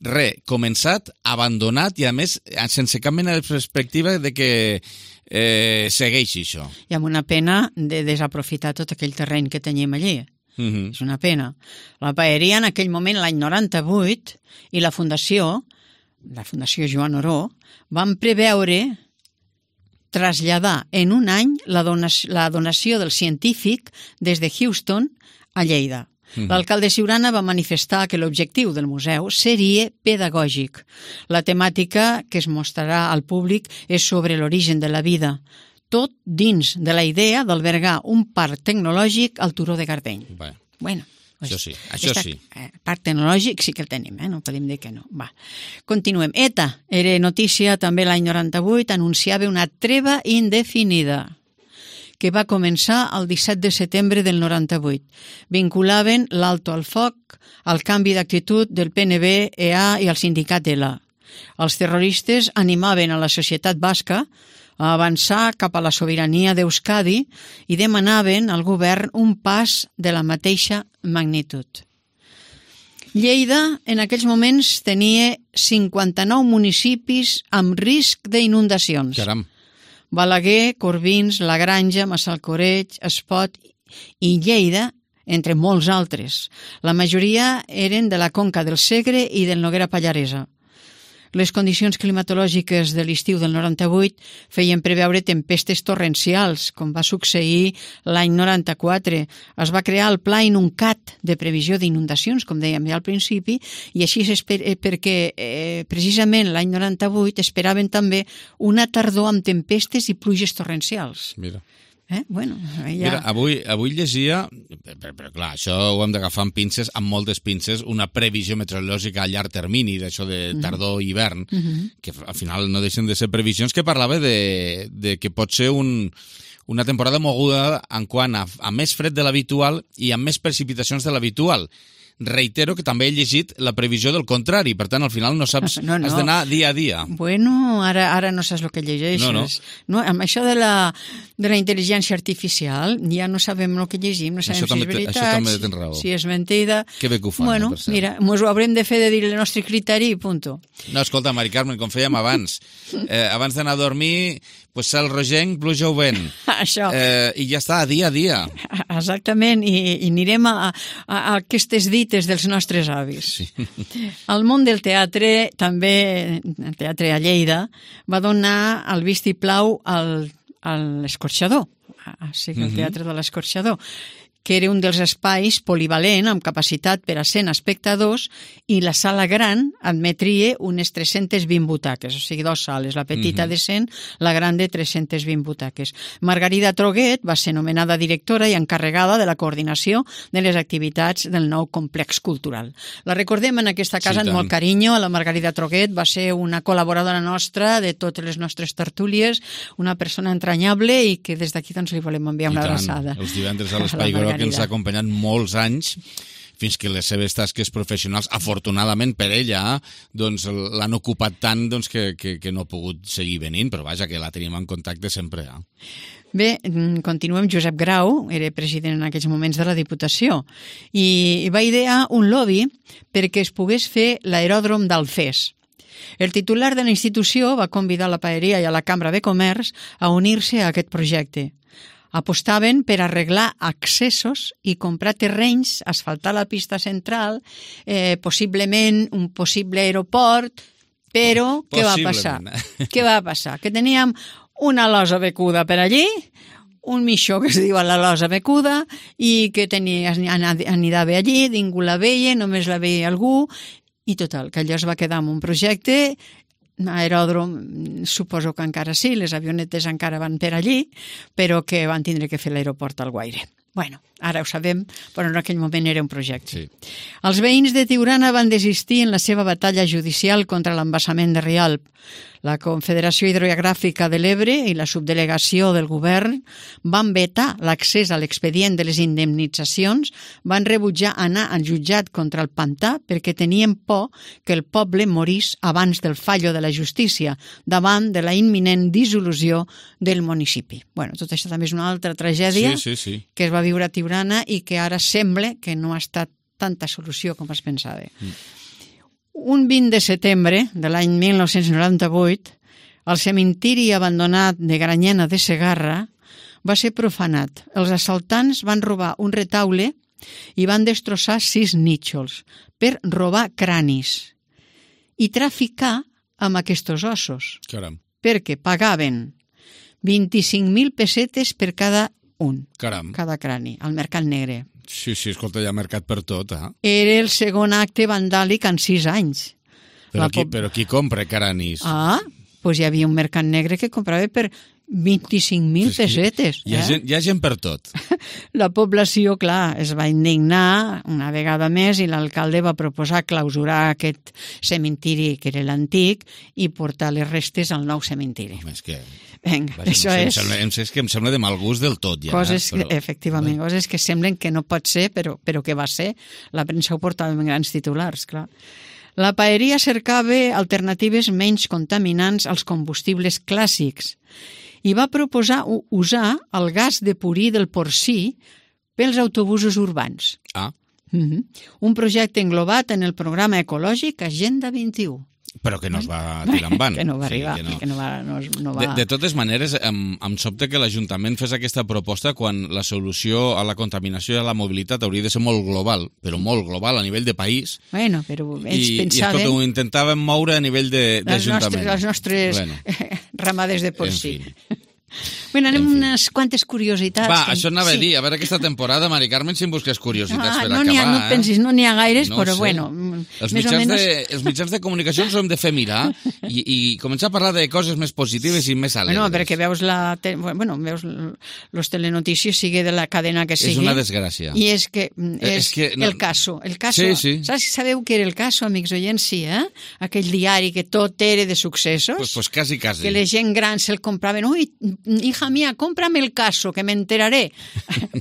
Re, començat, abandonat i a més sense cap mena de perspectiva de que eh, segueixi això. I amb una pena de desaprofitar tot aquell terreny que teníem allí. Uh-huh. És una pena. La paeria en aquell moment, l'any noranta-vuit, i la Fundació, la Fundació Joan Oró, van preveure traslladar en un any la donació, la donació del científic des de Houston a Lleida. Uh-huh. L'alcalde Siurana va manifestar que l'objectiu del museu seria pedagògic. La temàtica que es mostrarà al públic és sobre l'origen de la vida, tot dins de la idea d'albergar un parc tecnològic al Turó de Gardeny. Bé. Bueno, això sí, això esta, sí. Eh, parc tecnològic sí que el tenim, eh? No podem dir que no. Va. Continuem. ETA era notícia també l'any noranta-vuit, anunciava una treva indefinida. que va començar el disset de setembre del noranta-vuit. Vinculaven l'alto al foc al canvi d'actitud del P N B, E A i el sindicat E L A. Els terroristes animaven a la societat basca a avançar cap a la sobirania d'Euskadi i demanaven al govern un pas de la mateixa magnitud. Lleida, en aquells moments, tenia cinquanta-nou municipis amb risc d'inundacions. Caram. Balaguer, Corbins, La Granja, Massalcoreig, Espot i Lleida, entre molts altres. La majoria eren de la conca del Segre i del Noguera Pallaresa. Les condicions climatològiques de l'estiu del noranta-vuit feien preveure tempestes torrencials, com va succeir l'any noranta-quatre. Es va crear el Pla Inuncat de previsió d'inundacions, com dèiem ja al principi, i així perquè eh, precisament l'any noranta-vuit esperaven també una tardor amb tempestes i pluges torrencials. Mira. Eh? Bueno, ja... Mira, avui, avui llegia, però, però clar, això ho hem d'agafar amb pinces, amb moltes pinces, una previsió meteorològica a llarg termini, d'això de tardor i hivern, Mm-hmm. que al final no deixen de ser previsions, que parlava de, de que pot ser un, una temporada moguda en quant a, a més fred de l'habitual i amb més precipitacions de l'habitual. Reitero que també he llegit la previsió del contrari, per tant, al final no saps, no, no. has d'anar dia a dia. Bueno, ara, ara no saps el que llegeixes. No, no. No, amb això de la, de la intel·ligència artificial ja no sabem el que llegim, no sabem Això si també és te- veritat, això també tens raó. si és mentida. Que bé que ho fan, Bueno, eh, per cert. mira, mos ho haurem de fer de dir el nostre criteri i punto. No, escolta, Mari Carmen, com fèiem abans, eh, abans d'anar a dormir, pues cel rogenc, pluja o vent. Això. Eh, I ja està, dia a dia. Exactament, i, i anirem a, a, a aquestes dites dels nostres avis. Sí. El món del teatre, també, el teatre a Lleida, va donar el vistiplau al, a l'Escorxador, o sigui, el Mhm. Teatre de l'Escorxador, que era un dels espais polivalent amb capacitat per a cent espectadors, i la sala gran admetria unes tres-centes vint butaques, o sigui, dues sales, la petita Mhm. de cent, la gran de tres-centes vint butaques. Margarida Troguet va ser nomenada directora i encarregada de la coordinació de les activitats del nou complex cultural. La recordem en aquesta casa Sí, amb molt tant. carinyo. La Margarida Troguet va ser una col·laboradora nostra de totes les nostres tertúlies, una persona entranyable i que des d'aquí doncs, li volem enviar una I tant. abraçada. Els divendres a A l'Espai la Groc, que ens Margarida. ha acompanyat molts anys, fins que les seves tasques professionals, afortunadament per ella, doncs l'han ocupat tant doncs, que, que, que no ha pogut seguir venint, però vaja, que la tenim en contacte sempre. Eh? Bé, mm, continuem. Josep Grau era president en aquells moments de la Diputació i va idear un lobby perquè es pogués fer l'aeròdrom d'Alfés. El titular de la institució va convidar la Paeria i a la Cambra de Comerç a unir-se a aquest projecte. Apostaven per arreglar accessos i comprar terrenys, asfaltar la pista central, eh, possiblement un possible aeroport, però què va passar? Què va passar? Que teníem una losa becuda per allí, un mixó que es diu la losa becuda i que tenia, anidava allí, ningú la veia, només la veia algú, i total, que allò es va quedar amb un projecte. Aeròdrom, suposo que encara sí, les avionetes encara van per allí, però que van tindre que fer l'aeroport al Guaire. Bueno, ara ho sabem, però en aquell moment era un projecte. Sí. Els veïns de Tiurana van desistir en la seva batalla judicial contra l'embassament de Rialp. La Confederació Hidrogràfica de l'Ebre i la subdelegació del govern van vetar l'accés a l'expedient de les indemnitzacions, van rebutjar anar al jutjat contra el pantà perquè tenien por que el poble morís abans del fallo de la justícia, davant de la imminent dissolució del municipi. Bueno, tot això també és una altra tragèdia Sí, sí, sí. que es va viure a Tiurana i que ara sembla que no ha estat tanta solució com es pensava. Mm. Un vint de setembre de l'any mil nou-cents noranta-vuit, el cementiri abandonat de Granyena de Segarra va ser profanat. Els assaltants van robar un retaule i van destrossar sis nítxols per robar cranis i traficar amb aquests ossos, Caram, perquè pagaven vint-i-cinc mil pessetes per cada un, caram. cada crani, al mercat negre. Sí, sí, escolta, hi ha mercat per tot, eh? Era el segon acte vandàlic en sis anys. Però, La qui, pop- però qui compra cranis? Ah, doncs hi havia un mercat negre que comprava per vint-i-cinc mil pessetes. Hi ha, eh? gent, hi ha gent per tot. La població, clar, es va indignar una vegada més i l'alcalde va proposar clausurar aquest cementiri, que era l'antic, i portar les restes al nou cementiri. Home, és que... Vinga, Vaja, això no sé, és... Em sembla, em sé, és que em sembla de mal gust del tot, ja. Coses, però... efectivament, coses que semblen que no pot ser, però, però que va ser. La premsa ho portava en grans titulars, clar. La paeria cercava alternatives menys contaminants als combustibles clàssics i va proposar usar el gas de purí del porcí pels autobusos urbans. Ah. Mm-hmm. Un projecte englobat en el programa ecològic Agenda vint-i-u. Però que no es va tirar en van. Que no va arribar, sí, que no. que no va... No, no va... De, de totes maneres, em, em sobta que l'Ajuntament fes aquesta proposta quan la solució a la contaminació i a la mobilitat hauria de ser molt global, però molt global a nivell de país. Bueno, però ells I, pensaven... I escolta, ho intentàvem moure a nivell d'Ajuntament. Les nostres, les nostres bueno. ramades de porcí. En fi. Bueno, anem unes quantes curiositats. Va, això anava sí. a dir, a veure aquesta temporada, Mari Carmen, si em busques curiositats ah, per no acabar. Ha, no eh? pensis, no n'hi ha gaires, no però sé. bueno, els més mitjans, o menys... de, els mitjans de comunicació ens ho hem de fer mirar i, i començar a parlar de coses més positives i més alegres. Bueno, perquè veus la... Te... Bueno, veus los telenotícies, sigue de la cadena que sigui. És una desgràcia. I és que és, és que, no... el caso. El caso. Sí, sí. Saps, sabeu què era el caso, amics oients? Sí, eh? Aquell diari que tot era de successos. Pues, pues quasi, quasi. Que la gent gran se'l compraven. Ui, hija mía, cómprame el caso, que me enteraré.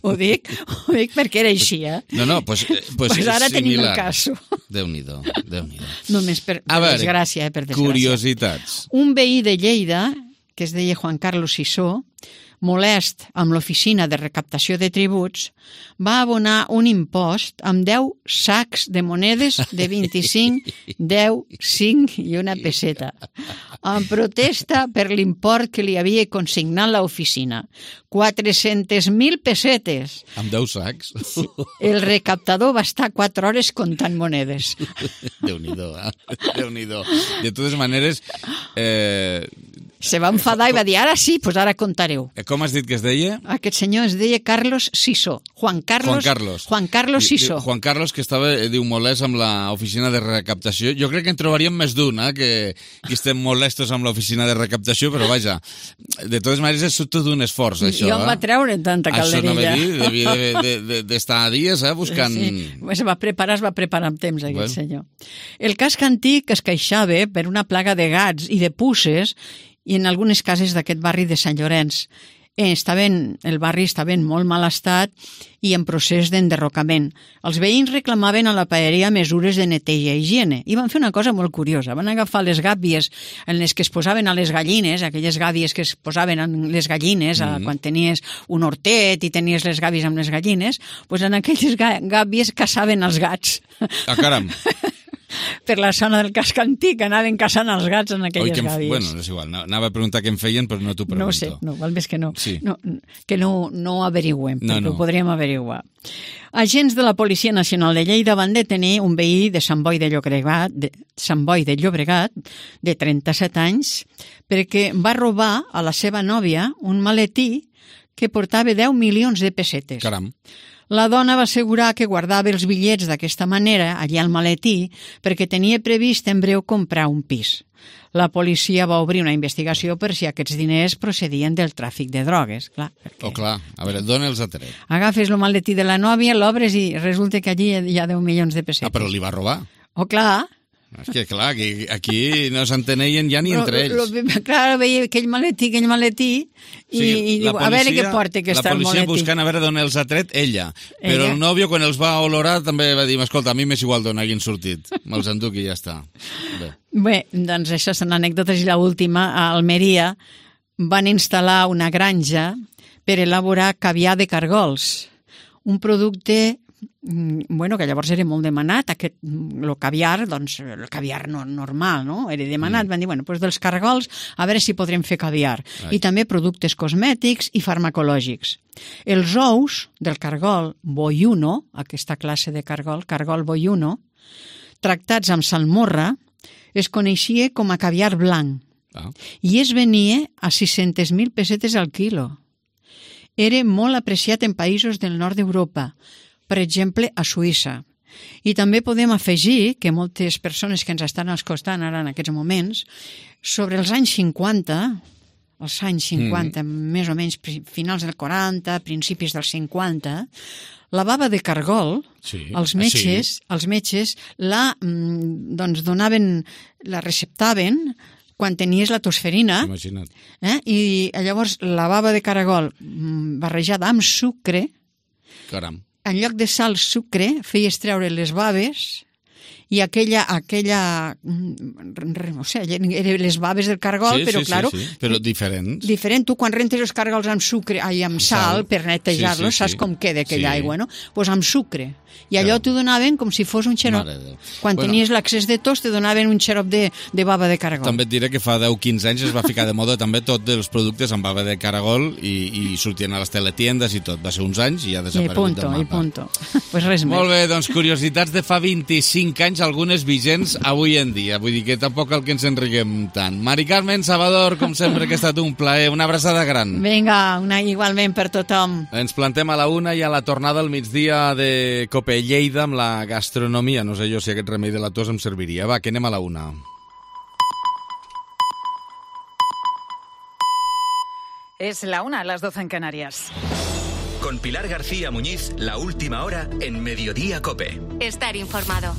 ho dic, ho dic perquè era així, eh? No, no, pues, pues, pues ara similar. tenim el caso. Déu-n'hi-do, Déu-n'hi-do. Només per, per veure, desgràcia, eh? Per desgràcia. Curiositats. Un veí de Lleida, que es deia Juan Carlos Sisó, molest amb l'oficina de recaptació de tributs, va abonar un impost amb deu sacs de monedes de vint-i-cinc, deu, cinc i una peseta, en protesta per l'import que li havia consignat l'oficina. quatre-centes mil pessetes. Amb deu sacs? Sí. El recaptador va estar quatre hores comptant monedes. Déu-n'hi-do, eh? Déu-n'hi-do. De totes maneres... Eh... Se va enfadar i va dir, ara sí, doncs ara contareu. Com has dit que es deia? Aquest senyor es deia Carlos Sisó. Juan Carlos, Juan Carlos. Juan Carlos Sisó. Juan Carlos, que estava, diu, molest amb l'oficina de recaptació. Jo crec que en trobaríem més d'un, eh, que, que estem molestos amb l'oficina de recaptació, però vaja, de totes maneres és tot un esforç, això. Jo em va treure tanta calderilla. Això no va dir, devia d'estar de, de, de dies, eh, buscant... Sí, es va preparar, es va preparar amb temps, aquest bueno. senyor. El casc antic es queixava per una plaga de gats i de puces i en algunes cases d'aquest barri de Sant Llorenç. Estaven, el barri estava en molt mal estat i en procés d'enderrocament. Els veïns reclamaven a la paeria mesures de neteja i higiene i van fer una cosa molt curiosa. Van agafar les gàbies en les que es posaven a les gallines, aquelles gàbies que es posaven en les gallines mm-hmm. a, quan tenies un hortet i tenies les gàbies amb les gallines, doncs en aquelles gàbies caçaven els gats. Ah, caram! Per la zona del casc antic anaven caçant els gats en aquelles Oi, gàbies. Bueno, és igual, anava a preguntar què en feien, però no t'ho pregunto. No ho sé, no, val més que no. Sí. no que no, no averigüem, no, perquè no. ho podríem averiguar. Agents de la Policia Nacional de Lleida van detenir un veí de Sant Boi de Llobregat, de Sant Boi de Llobregat, de trenta-set anys, perquè va robar a la seva nòvia un maletí que portava deu milions de pessetes. Caram. La dona va assegurar que guardava els bitllets d'aquesta manera allà al maletí perquè tenia previst en breu comprar un pis. La policia va obrir una investigació per si aquests diners procedien del tràfic de drogues. Clar, perquè... Oh, clar. A veure, dóna'ls a tret. Agafes el maletí de la nòvia, l'obres i resulta que allí hi ha deu milions de pessetes. Ah, però li va robar. Oh, clar. És que, clar, aquí, aquí no s'enteneien ja ni però, entre ells. Lo, clar, veia aquell maletí, aquell maletí, i, sí, i diu, policia, a veure què porta aquest maletí. La policia buscant a veure d'on els ha tret ella. ella. Però el nòvio, quan els va olorar, també va dir, escolta, a mi m'és igual d'on hagin sortit. Me'ls enduc i ja està. Bé, Bé doncs això són anècdotes. I l'última, a Almeria van instal·lar una granja per elaborar caviar de cargols. Un producte... bueno, que llavors era molt demanat, aquest, el caviar, doncs, el caviar no, normal, no? Era demanat, mm. van dir, bueno, doncs dels cargols, a veure si podrem fer caviar. Ai. I també productes cosmètics i farmacològics. Els ous del cargol boiuno, aquesta classe de cargol, cargol boiuno, tractats amb salmorra, es coneixia com a caviar blanc. Ah. I es venia a sis-centes mil pessetes al quilo. Era molt apreciat en països del nord d'Europa, per exemple, a Suïssa. I també podem afegir que moltes persones que ens estan escoltant ara en aquests moments, sobre els anys cinquanta, als anys cinquanta, mm. més o menys finals del quaranta, principis dels cinquanta, la bava de cargol, sí. els metges, sí. els metges la, doncs, donaven, la receptaven quan tenies la tosferina. Imagina't. Eh? I llavors la bava de caragol barrejada amb sucre, caram, en lloc de sal, sucre, feies treure les baves i aquella, aquella o sigui, eren les baves del cargol, sí, però sí, claro, sí, sí. però diferents. Diferent. Tu quan rentes els cargols amb sucre, ai, amb sal, sal, per netejar-los, sí, sí, saps sí. com queda aquella sí. aigua, no? Doncs pues amb sucre. I allò t'ho donaven com si fos un xarop. Quan bueno, tenies l'accés de tos, te donaven un xarop de, de bava de caragol. També et diré que fa deu quinze anys es va ficar de moda també tot els productes amb bava de caragol i, i sortien a les teletiendes i tot. Va ser uns anys i ja ha desaparegut del mapa. I punto, i punto. Pues res més. Molt bé, doncs curiositats de fa vint-i-cinc anys, algunes vigents avui en dia. Vull dir que tampoc cal que ens enriguem tant. Mari Carmen, Salvador, com sempre que ha estat un plaer. Una abraçada gran. Vinga, una igualment per tothom. Ens plantem a la una i a la tornada al migdia de Cope Lleida amb la gastronomia. No sé jo si aquest remei de la tos em serviria. Va, que anem a la una. Es la una, las doce en Canarias. Con Pilar García Muñiz, la última hora en Mediodía Cope. Estar informado.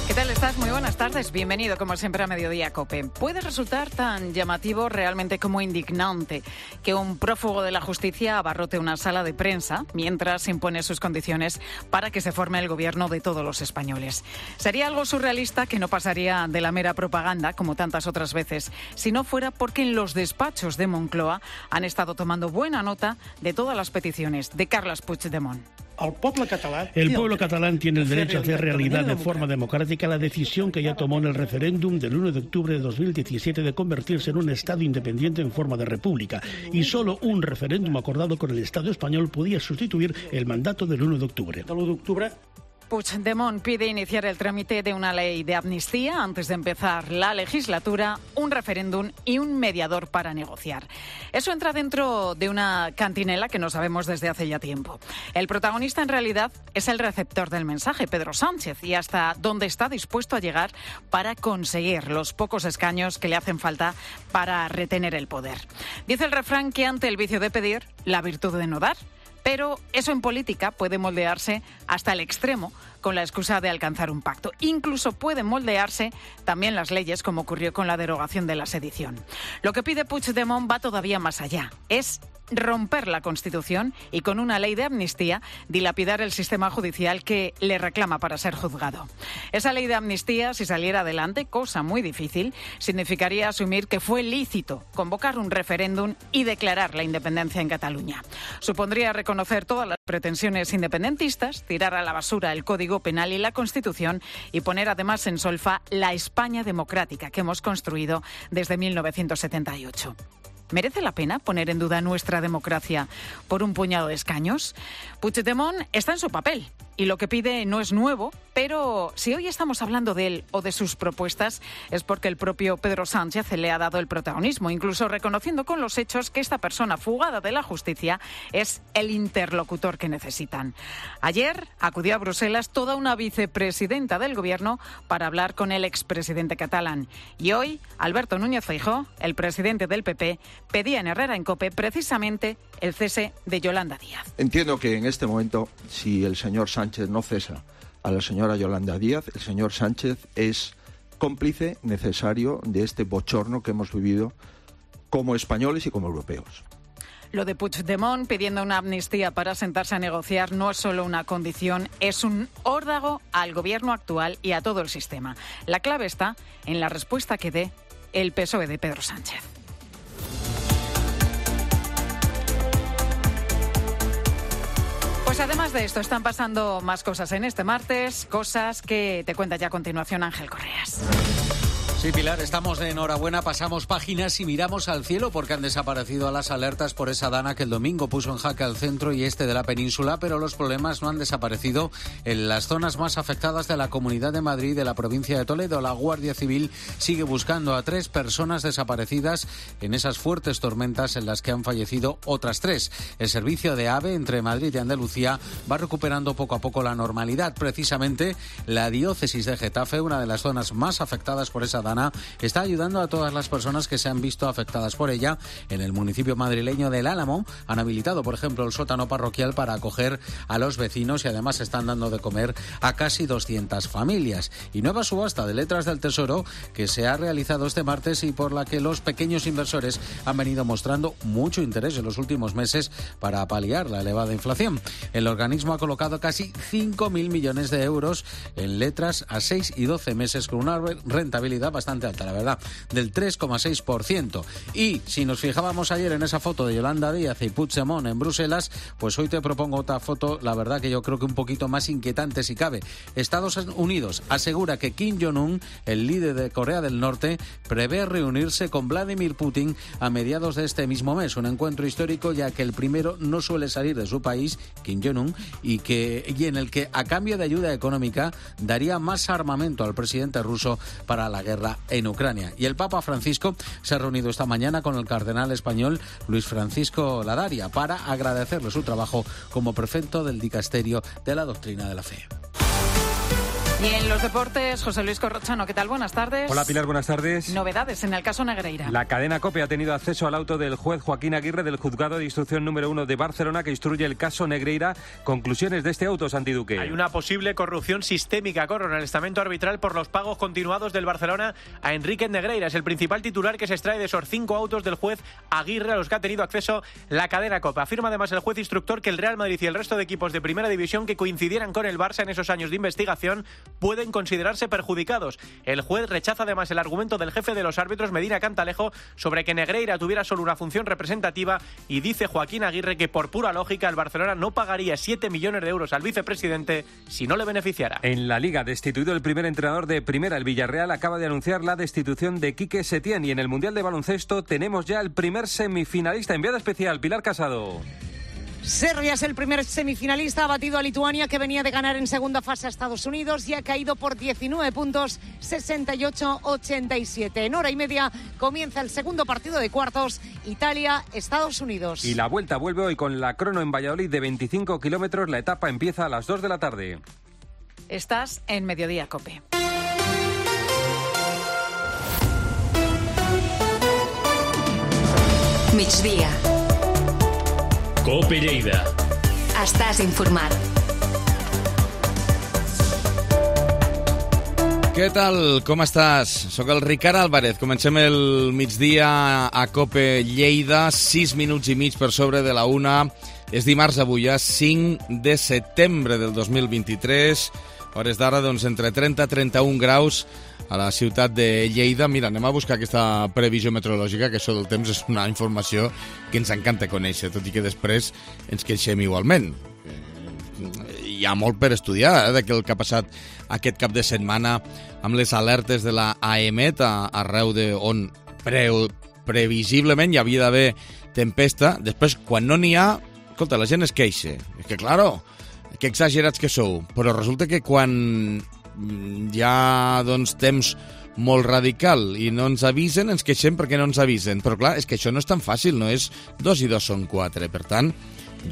¿Qué tal estás? Muy buenas tardes. Bienvenido, como siempre, a Mediodía Cope. Puede resultar tan llamativo realmente como indignante que un prófugo de la justicia abarrote una sala de prensa mientras impone sus condiciones para que se forme el gobierno de todos los españoles. Sería algo surrealista que no pasaría de la mera propaganda, como tantas otras veces, si no fuera porque en los despachos de Moncloa han estado tomando buena nota de todas las peticiones de Carles Puigdemont. El pueblo catalán tiene el derecho a hacer realidad de forma democrática la decisión que ya tomó en el referéndum del uno de octubre de dos mil diecisiete de convertirse en un Estado independiente en forma de república. Y solo un referéndum acordado con el Estado español podía sustituir el mandato del uno de octubre. Puigdemont pide iniciar el trámite de una ley de amnistía antes de empezar la legislatura, un referéndum y un mediador para negociar. Eso entra dentro de una cantinela que no sabemos desde hace ya tiempo. El protagonista en realidad es el receptor del mensaje, Pedro Sánchez, y hasta dónde está dispuesto a llegar para conseguir los pocos escaños que le hacen falta para retener el poder. Dice el refrán que ante el vicio de pedir, la virtud de no dar. Pero eso en política puede moldearse hasta el extremo con la excusa de alcanzar un pacto. Incluso pueden moldearse también las leyes, como ocurrió con la derogación de la sedición. Lo que pide Puigdemont va todavía más allá. Es romper la Constitución y con una ley de amnistía dilapidar el sistema judicial que le reclama para ser juzgado. Esa ley de amnistía, si saliera adelante, cosa muy difícil, significaría asumir que fue lícito convocar un referéndum y declarar la independencia en Cataluña. Supondría reconocer todas las pretensiones independentistas, tirar a la basura el Código Penal y la Constitución y poner además en solfa la España democrática que hemos construido desde mil novecientos setenta y ocho. ¿Merece la pena poner en duda nuestra democracia por un puñado de escaños? Puigdemont está en su papel y lo que pide no es nuevo, pero si hoy estamos hablando de él o de sus propuestas es porque el propio Pedro Sánchez le ha dado el protagonismo, incluso reconociendo con los hechos que esta persona fugada de la justicia es el interlocutor que necesitan. Ayer acudió a Bruselas toda una vicepresidenta del gobierno para hablar con el expresidente catalán. Y hoy, Alberto Núñez Feijóo, el presidente del P P, pedía en Herrera en COPE precisamente el cese de Yolanda Díaz. Entiendo que en este momento, si el señor Sánchez no cesa a la señora Yolanda Díaz, el señor Sánchez es cómplice necesario de este bochorno que hemos vivido como españoles y como europeos. Lo de Puigdemont pidiendo una amnistía para sentarse a negociar no es solo una condición, es un órdago al gobierno actual y a todo el sistema. La clave está en la respuesta que dé el P S O E de Pedro Sánchez. Pues además de esto, están pasando más cosas en este martes, cosas que te cuenta ya a continuación Ángel Correas. Sí, Pilar, estamos de enhorabuena, pasamos páginas y miramos al cielo porque han desaparecido las alertas por esa dana que el domingo puso en jaque al centro y este de la península, pero los problemas no han desaparecido en las zonas más afectadas de la Comunidad de Madrid y de la provincia de Toledo. La Guardia Civil sigue buscando a tres personas desaparecidas en esas fuertes tormentas en las que han fallecido otras tres. El servicio de AVE entre Madrid y Andalucía va recuperando poco a poco la normalidad. Precisamente la diócesis de Getafe, una de las zonas más afectadas por esa dana, Dana está ayudando a todas las personas que se han visto afectadas por ella. En el municipio madrileño del Álamo han habilitado, por ejemplo, el sótano parroquial para acoger a los vecinos y además están dando de comer a casi doscientas familias. Y nueva subasta de letras del Tesoro que se ha realizado este martes y por la que los pequeños inversores han venido mostrando mucho interés en los últimos meses para paliar la elevada inflación. El organismo ha colocado casi cinco mil millones de euros en letras a seis y doce meses con una rentabilidad bastante alta, la verdad, del tres coma seis por ciento. Y si nos fijábamos ayer en esa foto de Yolanda Díaz y Puigdemont en Bruselas, pues hoy te propongo otra foto, la verdad que yo creo que un poquito más inquietante si cabe. Estados Unidos asegura que Kim Jong-un, el líder de Corea del Norte, prevé reunirse con Vladimir Putin a mediados de este mismo mes, un encuentro histórico ya que el primero no suele salir de su país, Kim Jong-un, y, que, y en el que a cambio de ayuda económica daría más armamento al presidente ruso para la guerra en Ucrania. Y el Papa Francisco se ha reunido esta mañana con el cardenal español Luis Francisco Ladaria para agradecerle su trabajo como prefecto del dicasterio de la doctrina de la fe. Y en los deportes, José Luis Corrochano, ¿qué tal? Buenas tardes. Hola Pilar, buenas tardes. Novedades en el caso Negreira. La cadena COPE ha tenido acceso al auto del juez Joaquín Aguirre del Juzgado de Instrucción número uno de Barcelona que instruye el caso Negreira. Conclusiones de este auto, Santi Duque. Hay una posible corrupción sistémica, Corro, en el estamento arbitral por los pagos continuados del Barcelona a Enrique Negreira. Es el principal titular que se extrae de esos cinco autos del juez Aguirre a los que ha tenido acceso la cadena COPE. Afirma además el juez instructor que el Real Madrid y el resto de equipos de Primera División que coincidieran con el Barça en esos años de investigación pueden considerar perjudicados. El juez rechaza además el argumento del jefe de los árbitros, Medina Cantalejo, sobre que Negreira tuviera solo una función representativa y dice Joaquín Aguirre que por pura lógica el Barcelona no pagaría siete millones de euros al vicepresidente si no le beneficiara. En la Liga, destituido el primer entrenador de Primera, el Villarreal acaba de anunciar la destitución de Quique Setién y en el Mundial de Baloncesto tenemos ya el primer semifinalista. Enviada especial, Pilar Casado. Serbia es el primer semifinalista, ha batido a Lituania que venía de ganar en segunda fase a Estados Unidos y ha caído por diecinueve puntos, sesenta y ocho a ochenta y siete. En hora y media comienza el segundo partido de cuartos, Italia-Estados Unidos. Y la vuelta vuelve hoy con la crono en Valladolid de veinticinco kilómetros, la etapa empieza a las dos de la tarde. Estás en Mediodía COPE. Migdia. COPE Lleida. Estàs informat. Què tal? Com estàs? Soc el Ricard Álvarez. Comencem el migdia a COPE Lleida, sis minuts i mig per sobre de la una. És dimarts avui, ja cinc de setembre del dos mil vint-i-tres. Hores d'ara, doncs, entre trenta i trenta-un graus a la ciutat de Lleida. Mira, anem a buscar aquesta previsió meteorològica, que això del temps és una informació que ens encanta conèixer, tot i que després ens queixem igualment. Hi ha molt per estudiar, eh, del que ha passat aquest cap de setmana amb les alertes de la A E M E T arreu de on pre previsiblement hi havia d'haver tempesta. Després, quan no n'hi ha, escolta, la gent es queixa. És que, claro, que exagerats que sou. Però resulta que quan hi ha, doncs, temps molt radical i no ens avisen, ens queixem perquè no ens avisen. Però, clar, és que això no és tan fàcil, no és dos i dos són quatre. Per tant,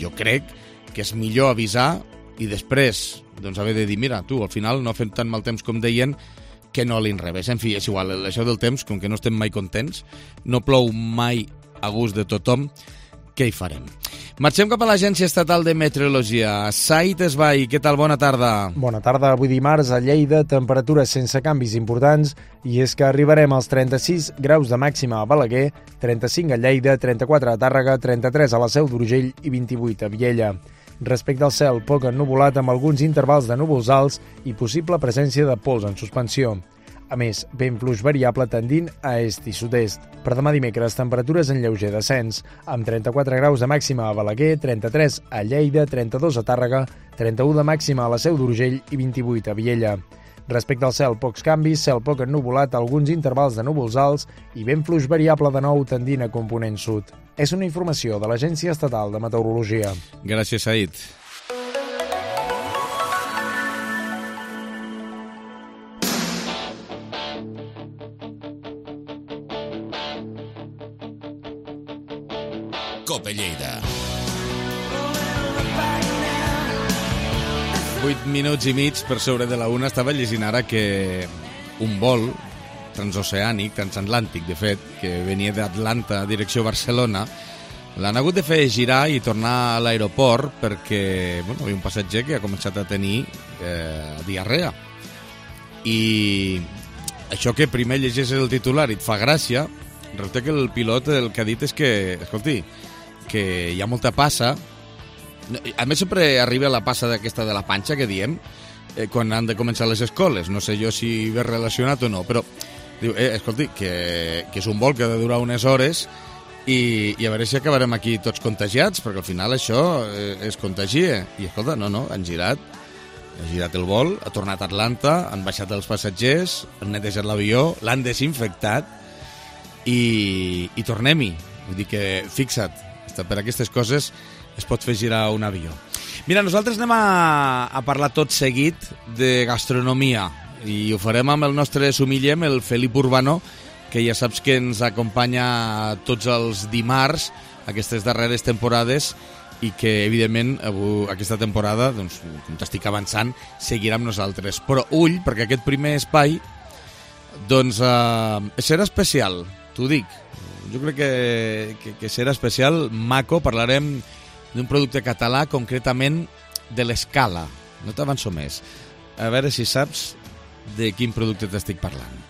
jo crec que és millor avisar i després, doncs, haver de dir, mira, tu, al final no fem tan mal temps com deien, que no a l'inrevés. En fi, és igual, això del temps, com que no estem mai contents, no plou mai a gust de tothom, què hi farem? Marxem cap a l'Agència Estatal de Meteorologia. Said Esbai, què tal? Bona tarda. Bona tarda. Avui dimarts a Lleida, temperatures sense canvis importants i és que arribarem als trenta-sis graus de màxima a Balaguer, trenta-cinc a Lleida, trenta-quatre a Tàrrega, trenta-tres a la Seu d'Urgell i vint-i-vuit a Viella. Respecte al cel, poc ennuvolat amb alguns intervals de núvols alts i possible presència de pols en suspensió. A més, vent fluix variable tendint a est i sud-est. Per demà dimecres, temperatures en lleuger descens, amb trenta-quatre graus de màxima a Balaguer, trenta-tres a Lleida, trenta-dos a Tàrrega, trenta-u de màxima a la Seu d'Urgell i vint-i-vuit a Viella. Respecte al cel, pocs canvis, cel poc ennuvolat, alguns intervals de núvols alts i vent fluix variable de nou tendint a component sud. És una informació de l'Agència Estatal de Meteorologia. Gràcies, Said. COPE Lleida. Vuit minuts i mig per sobre de la una. Estava llegint ara que un vol transoceànic, transatlàntic, de fet, que venia d'Atlanta, direcció Barcelona, l'han hagut de fer girar i tornar a l'aeroport perquè bueno, hi havia un passatger que ha començat a tenir eh, diarrea. I això que primer llegeixes el titular i et fa gràcia, resulta que el pilot el que ha dit és que, escolti, que hi ha molta passa. A més, sempre arriba la passa d'aquesta de la panxa que diem eh, quan han de començar les escoles. No sé jo si ve relacionat o no, però diu, eh, escolti, que, que és un vol que ha de durar unes hores i, i a veure si acabarem aquí tots contagiats, perquè al final això eh, es contagia. I escolta, no, no, han girat, ha girat el vol, ha tornat a Atlanta, han baixat els passatgers, han netejat l'avió, l'han desinfectat i, i tornem-hi. Vull dir que, fixa't, per aquestes coses es pot fer girar un avió. Mira, nosaltres anem a, a parlar tot seguit de gastronomia i ho farem amb el nostre sumillem, el Felip Urbano, que ja saps que ens acompanya tots els dimarts aquestes darreres temporades i que, evidentment, avui, aquesta temporada, doncs, com t'estic avançant, seguirà amb nosaltres. Però ull, perquè aquest primer espai doncs, eh, serà especial, t'ho dic. Jo crec que, que, que serà especial, maco, parlarem d'un producte català, concretament de l'Escala. No t'avanço més. A veure si saps de quin producte t'estic parlant.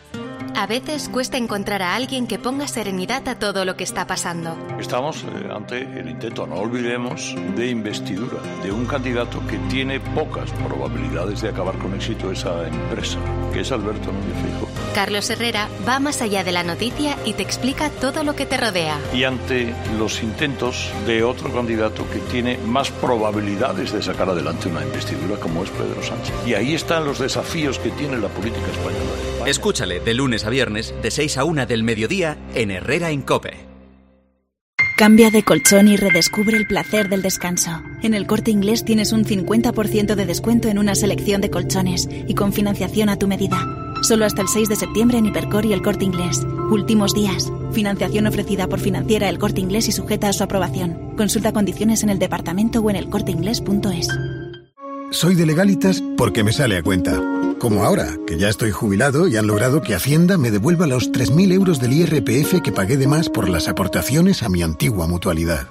A veces cuesta encontrar a alguien que ponga serenidad a todo lo que está pasando. Estamos eh, ante el intento, no olvidemos, de investidura de un candidato que tiene pocas probabilidades de acabar con éxito esa empresa, que es Alberto Núñez Feijóo. Carlos Herrera va más allá de la noticia y te explica todo lo que te rodea. Y ante los intentos de otro candidato que tiene más probabilidades de sacar adelante una investidura, como es Pedro Sánchez. Y ahí están los desafíos que tiene la política española. Escúchale de lunes a viernes, de seis a una del mediodía, en Herrera en COPE. Cambia de colchón y redescubre el placer del descanso. En El Corte Inglés tienes un cincuenta por ciento de descuento en una selección de colchones y con financiación a tu medida. Solo hasta el seis de septiembre en Hipercor y El Corte Inglés. Últimos días. Financiación ofrecida por Financiera El Corte Inglés y sujeta a su aprobación. Consulta condiciones en el departamento o en el corte inglés punto es. Soy de Legalitas porque me sale a cuenta. Como ahora, que ya estoy jubilado y han logrado que Hacienda me devuelva los tres mil euros del I R P F que pagué de más por las aportaciones a mi antigua mutualidad.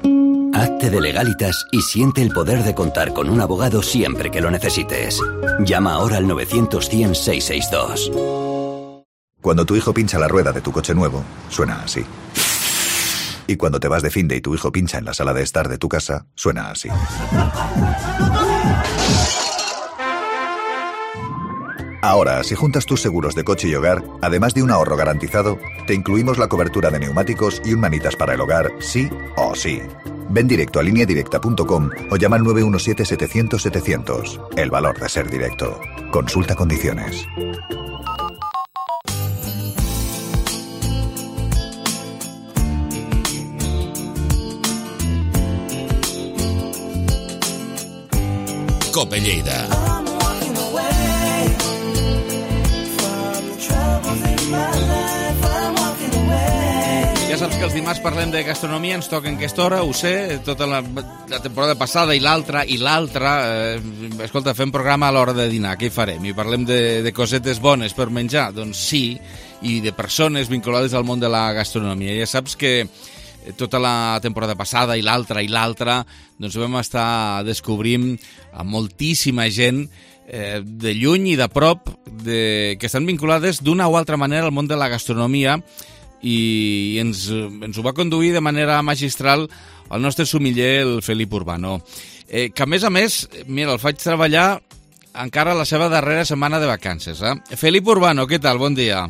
Hazte de Legalitas y siente el poder de contar con un abogado siempre que lo necesites. Llama ahora al novecientos cien seiscientos sesenta y dos. Cuando tu hijo pincha la rueda de tu coche nuevo, suena así. Y cuando te vas de finde y tu hijo pincha en la sala de estar de tu casa, suena así. Ahora, si juntas tus seguros de coche y hogar, además de un ahorro garantizado, te incluimos la cobertura de neumáticos y un manitas para el hogar, sí o sí. Ven directo a línea directa punto com o llama al nueve uno siete setecientos setecientos. El valor de ser directo. Consulta condiciones. COPE Lleida. Ja saps que els dimarts parlem de gastronomia, ens toca en aquesta hora, ho sé, tota la, la temporada passada i l'altra, i l'altra. Eh, escolta, fem programa a l'hora de dinar, què hi farem? I parlem de, de cosetes bones per menjar? Doncs sí, i de persones vinculades al món de la gastronomia. Ja saps que tota la temporada passada i l'altra i l'altra doncs vam estar descobrint a moltíssima gent eh, de lluny i de prop de, que estan vinculades d'una o altra manera al món de la gastronomia i ens, ens ho va conduir de manera magistral el nostre sumiller, el Felip Urbano, eh, que a més a més, mira, el faig treballar encara la seva darrera setmana de vacances. Eh? Felip Urbano, què tal? Bon dia.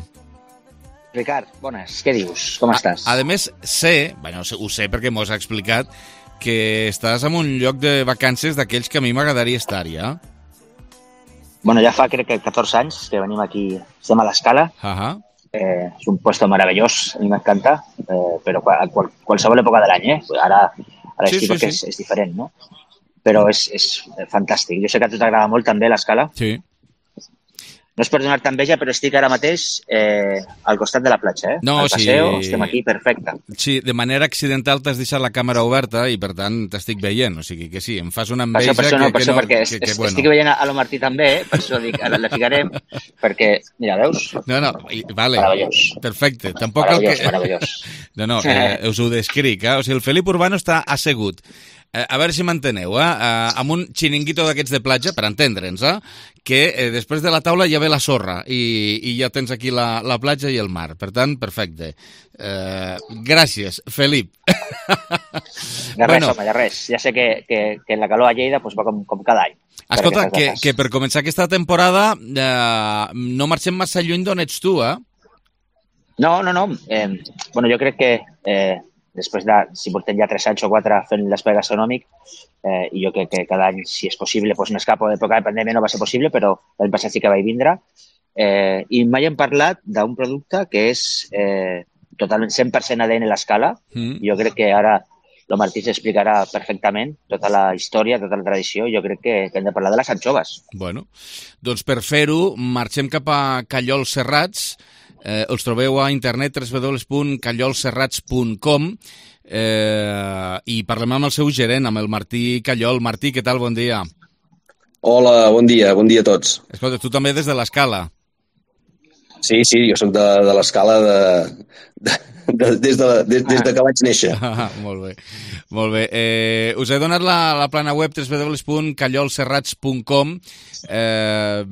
Ricard, bones, què dius? Com estàs? A, a més, sé, bueno, ho sé perquè m'ho has explicat, que estàs en un lloc de vacances d'aquells que a mi m'agradaria estar-hi, eh? Bueno, ja fa crec que catorze anys que venim aquí, estem a l'Escala. Uh -huh. Eh, és un puesto meravellós, a mi m'encanta, eh, però a qual, qualsevol època de l'any, eh? Ara, ara sí, estic sí, sí. És, és diferent, no? Però és, és fantàstic. Jo sé que a tu t'agrada molt també l'Escala. Sí. no és per donar-te enveja, però estic ara mateix eh, al costat de la platja, eh? No, al paseo, sí. Estem aquí, perfecte. Sí, de manera accidental t'has deixat la càmera oberta i, per tant, t'estic veient. O sigui que sí, em fas una enveja per això, per això, que, no, per que això, no... perquè Que, que, es, bueno. estic veient a lo Martí també, eh? Per això dic, ara la ficarem, perquè, mira, veus? No, no, vale. Meravellós. Perfecte. Tampoc meravellós, el que... meravellós. No, no, eh, us ho descric, eh? O sigui, el Felip Urbano està assegut. Eh, a veure si m'enteneu, eh? eh? Amb un xiringuito d'aquests de platja, per entendre'ns, eh? Que eh, després de la taula ja ve la sorra i, i ja tens aquí la, la platja i el mar. Per tant, perfecte. Eh, gràcies, Felip. De res, bueno, home, de res. Ja sé que, que, que la calor a Lleida pues, va com, com cada any. Escolta, que, que per començar aquesta temporada eh, no marxem massa lluny d'on ets tu, eh? No, no, no. Eh, bueno, jo crec que eh, després de, si portem ja tres anys o quatre fent l'espai gastronòmic, eh, i jo crec que cada any, si és possible, pues m'escapo. D'època de pandèmia no va ser possible, però l'any passat sí que vaig vindre. Eh, I mai hem parlat d'un producte que és eh, totalment cent per cent A D N a l'escala. Mm. Jo crec que ara el Martí s'explicarà perfectament tota la història, tota la tradició. Jo crec que, que hem de parlar de les anxoves. Bueno, doncs per fer-ho, marxem cap a Callols Serrats. Eh, els trobeu a internet w w w punt callols serrats punt com eh, i parlem amb el seu gerent, amb el Martí Callol. Martí, què tal? Bon dia. Hola, bon dia, bon dia a tots. Escolta, tu també des de l'Escala. Sí, sí, jo soc de, de l'Escala de, de, de, des, de, des, des de que vaig néixer. Ah, molt bé, molt bé. Eh, us he donat la, la plana web w w w punt callols serrats punt com. Eh,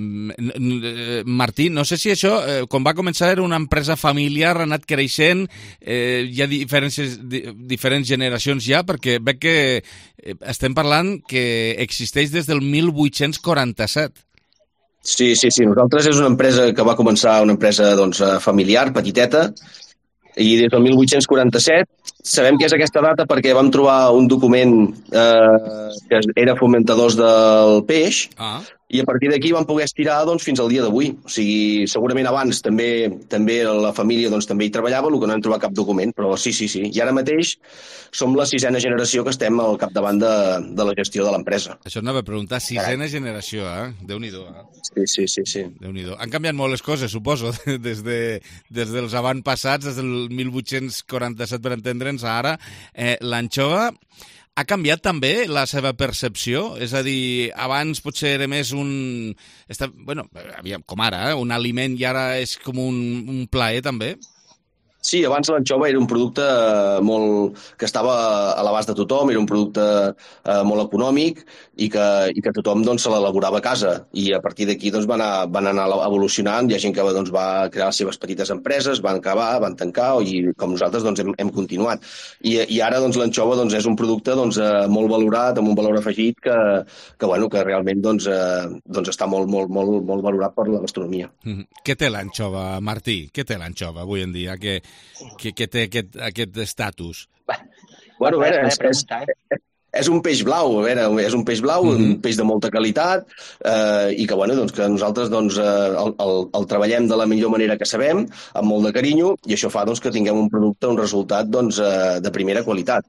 Martí, no sé si això, eh, quan va començar era una empresa familiar, ha anat creixent, eh, hi ha diferents, di, diferents generacions ja, perquè veig que estem parlant que existeix des del mil vuit-cents quaranta-set. Sí, sí, sí. Nosaltres és una empresa que va començar, una empresa doncs, familiar, petiteta, i des del mil vuit-cents quaranta-set sabem que és aquesta data perquè vam trobar un document eh, que era fomentadors del peix, ah. i a partir d'aquí vam poder estirar doncs, fins al dia d'avui. O sigui, segurament abans també també la família doncs, també hi treballava, el que no hem trobat cap document, però sí, sí, sí. I ara mateix som la sisena generació que estem al capdavant de, de la gestió de l'empresa. Això anava a preguntar, sisena Carai. generació, eh? Déu-n'hi-do. Eh? Sí, sí, sí, sí. Déu-n'hi-do. Han canviat molt les coses, suposo, des, de, des dels avantpassats, des del mil vuit-cents quaranta-set, per entendre'ns, a ara. Eh, l'anxova ha canviat també la seva percepció? És a dir, abans potser era més un... Està, bueno, aviam, com ara, eh? un aliment i ara és com un, un plaer també? Sí, abans l'anxova era un producte molt que estava a l'abast de tothom, era un producte eh, molt econòmic i que, i que tothom doncs, se l'elaborava a casa. I a partir d'aquí doncs, van, anar, van anar evolucionant. Hi ha gent que doncs, va crear les seves petites empreses, van acabar, van tancar, i com nosaltres doncs, hem, hem continuat. I, i ara doncs, l'anxova doncs, és un producte doncs, eh, molt valorat, amb un valor afegit que, que, bueno, que realment doncs, eh, doncs està molt, molt, molt, molt valorat per la gastronomia. Mm-hmm. Què té l'anxova, Martí? Què té l'anxova avui en dia? Que... Que, que té aquest, aquest estatus? Bueno, a veure, és, és, és un peix blau, a veure, és un peix blau, mm-hmm. un peix de molta qualitat, eh, i que, bueno, doncs, que nosaltres doncs, el, el, el treballem de la millor manera que sabem, amb molt de carinyo, i això fa doncs, que tinguem un producte, un resultat doncs, de primera qualitat.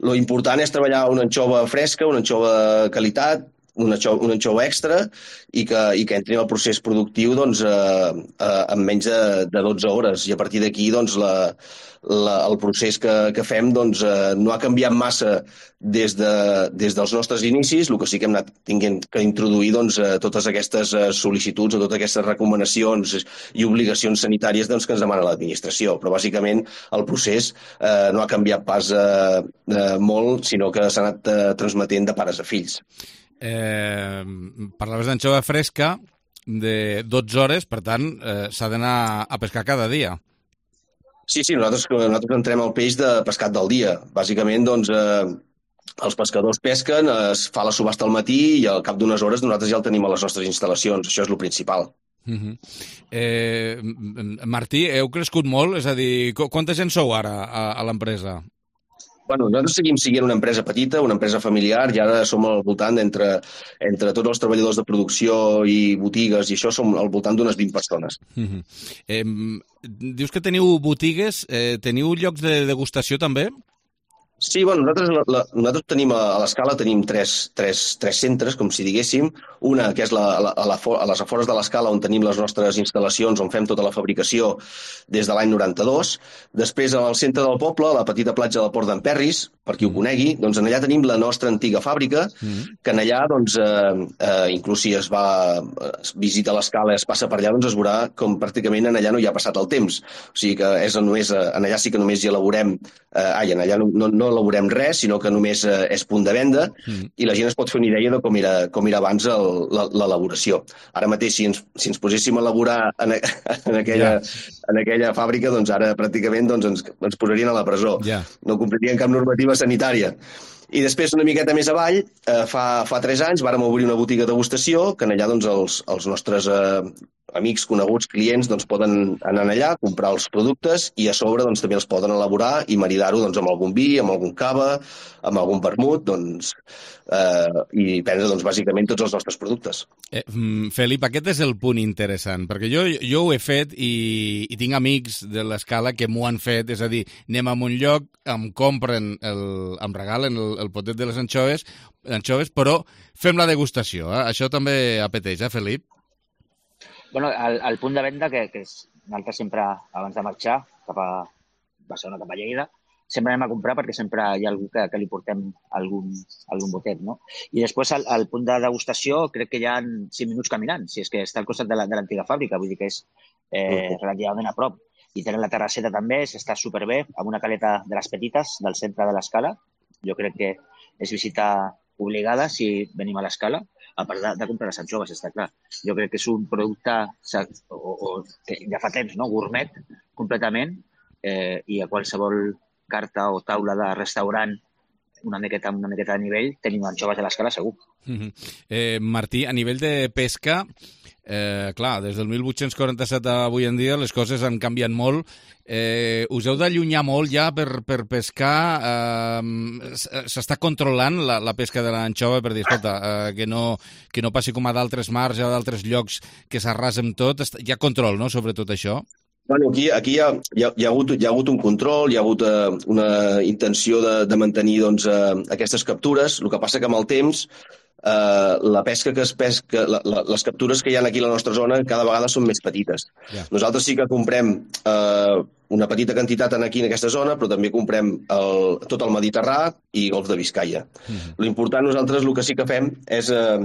Lo important és treballar una anxova fresca, una anxova de qualitat, una anxova, una anxova extra i que, i que entri en el procés productiu doncs, eh, eh, en menys de, de dotze hores. I a partir d'aquí doncs, la, la, el procés que, que fem doncs, eh, no ha canviat massa des, de, des dels nostres inicis. El que sí que hem anat tinguent que introduir doncs, eh, totes aquestes eh, sol·licituds o totes aquestes recomanacions i obligacions sanitàries doncs, que ens demana l'administració. Però bàsicament el procés eh, no ha canviat pas eh, eh, molt, sinó que s'ha anat eh, transmetent de pares a fills. Eh, parlaves d'anxova fresca de dotze hores, per tant, eh, s'ha d'anar a pescar cada dia. Sí, sí, nosaltres, nosaltres entrem el peix de pescat del dia. Bàsicament, doncs, eh, els pescadors pesquen, es fa la subhasta al matí i al cap d'unes hores nosaltres ja el tenim a les nostres instal·lacions. Això és el principal. Uh-huh. eh, Martí, heu crescut molt? És a dir, quanta gent sou ara a, a l'empresa? Bueno, nosaltres seguim sent una empresa petita, una empresa familiar, i ara som al voltant entre, entre tots els treballadors de producció i botigues, i això som al voltant d'unes vint persones. Uh-huh. eh, dius que teniu botigues, eh, teniu llocs de degustació també? Sí, bueno, nosaltres, la, la, nosaltres tenim a, a l'Escala tenim tres, tres, tres centres, com si diguéssim. Una, que és la, la, a, la, a les afores de l'Escala, on tenim les nostres instal·lacions, on fem tota la fabricació des de l'any noranta-dos. Després, al centre del poble, a la petita platja del Port d'en Perris, per qui ho conegui, doncs en allà tenim la nostra antiga fàbrica, mm. que en allà, doncs, eh, eh, inclús si es va es visita l'Escala i es passa per allà, doncs es veurà com pràcticament en allà no hi ha passat el temps. O sigui que és només, en allà sí que només hi elaborem, eh, ai, en allà no, no, no elaborem res, sinó que només eh, és punt de venda, mm. i la gent es pot fer una idea de com era, com era abans l'elaboració. Ara mateix, si ens, si ens poséssim a elaborar en, en, aquella, yeah. en aquella fàbrica, doncs ara pràcticament doncs, ens, ens posarien a la presó. Yeah. No complirien cap normativa sanitària. I després, una miqueta més avall, eh, fa, fa tres anys, vàrem obrir una botiga de degustació, que en allà doncs, els, els nostres eh, amics, coneguts, clients, doncs, poden anar allà, comprar els productes i a sobre doncs, també els poden elaborar i maridar-ho doncs, amb algun vi, amb algun cava, amb algun vermut, doncs, eh, i prendre doncs, bàsicament tots els nostres productes. Eh, Felip, aquest és el punt interessant, perquè jo, jo ho he fet i, i tinc amics de l'Escala que m'ho han fet, és a dir, anem a un lloc, em compren, el, em regalen el, el potet de les anxoves, anxoves, però fem la degustació. Eh? Això també apeteix, eh, Felip? Bueno, el, el punt de venda, que, que és nosaltres sempre, abans de marxar cap a Barcelona, cap a Lleida, sempre anem a comprar perquè sempre hi ha algú que, que li portem algun, algun botet, no? I després, al, al punt de degustació, crec que hi ha cinc minuts caminant, si és que està al costat de l'antiga fàbrica, vull dir que és eh, relativament a prop. I tenen la terrasseta també, s'està superbé, amb una caleta de les petites del centre de l'Escala. Jo crec que és visita obligada si venim a l'Escala, a part de, de comprar les anxoves, està clar. Jo crec que és un producte o, o, que ja fa temps, no? Gourmet, completament, eh, i a qualsevol carta o taula de restaurant una miqueta, una miqueta de nivell, tenim anxoves a l'Escala segur. Mm-hmm. eh, Martí, a nivell de pesca, eh, clar, des del mil vuit-cents quaranta-set a avui en dia les coses han canviat molt. Eh, us heu d'allunyar molt ja per, per pescar? Eh, s'està controlant la, la pesca de l'anxova per dir, escolta, eh, que, no, que no passi com a d'altres mars o d'altres llocs que s'arrasen tot? Hi ha control, no?, sobre tot això? Bueno, aquí, aquí hi, ha, hi, ha, hi, ha hagut, hi ha hagut un control, hi ha hagut eh, una intenció de, de mantenir doncs, eh, aquestes captures. El que passa que amb el temps eh, la pesca que es pesca, la, la, les captures que hi ha aquí a la nostra zona cada vegada són més petites. Yeah. Nosaltres sí que comprem eh, una petita quantitat aquí en aquesta zona, però també comprem el, tot el Mediterrà i Golf de Biscaia. Mm-hmm. L'important nosaltres el que sí que fem és, eh,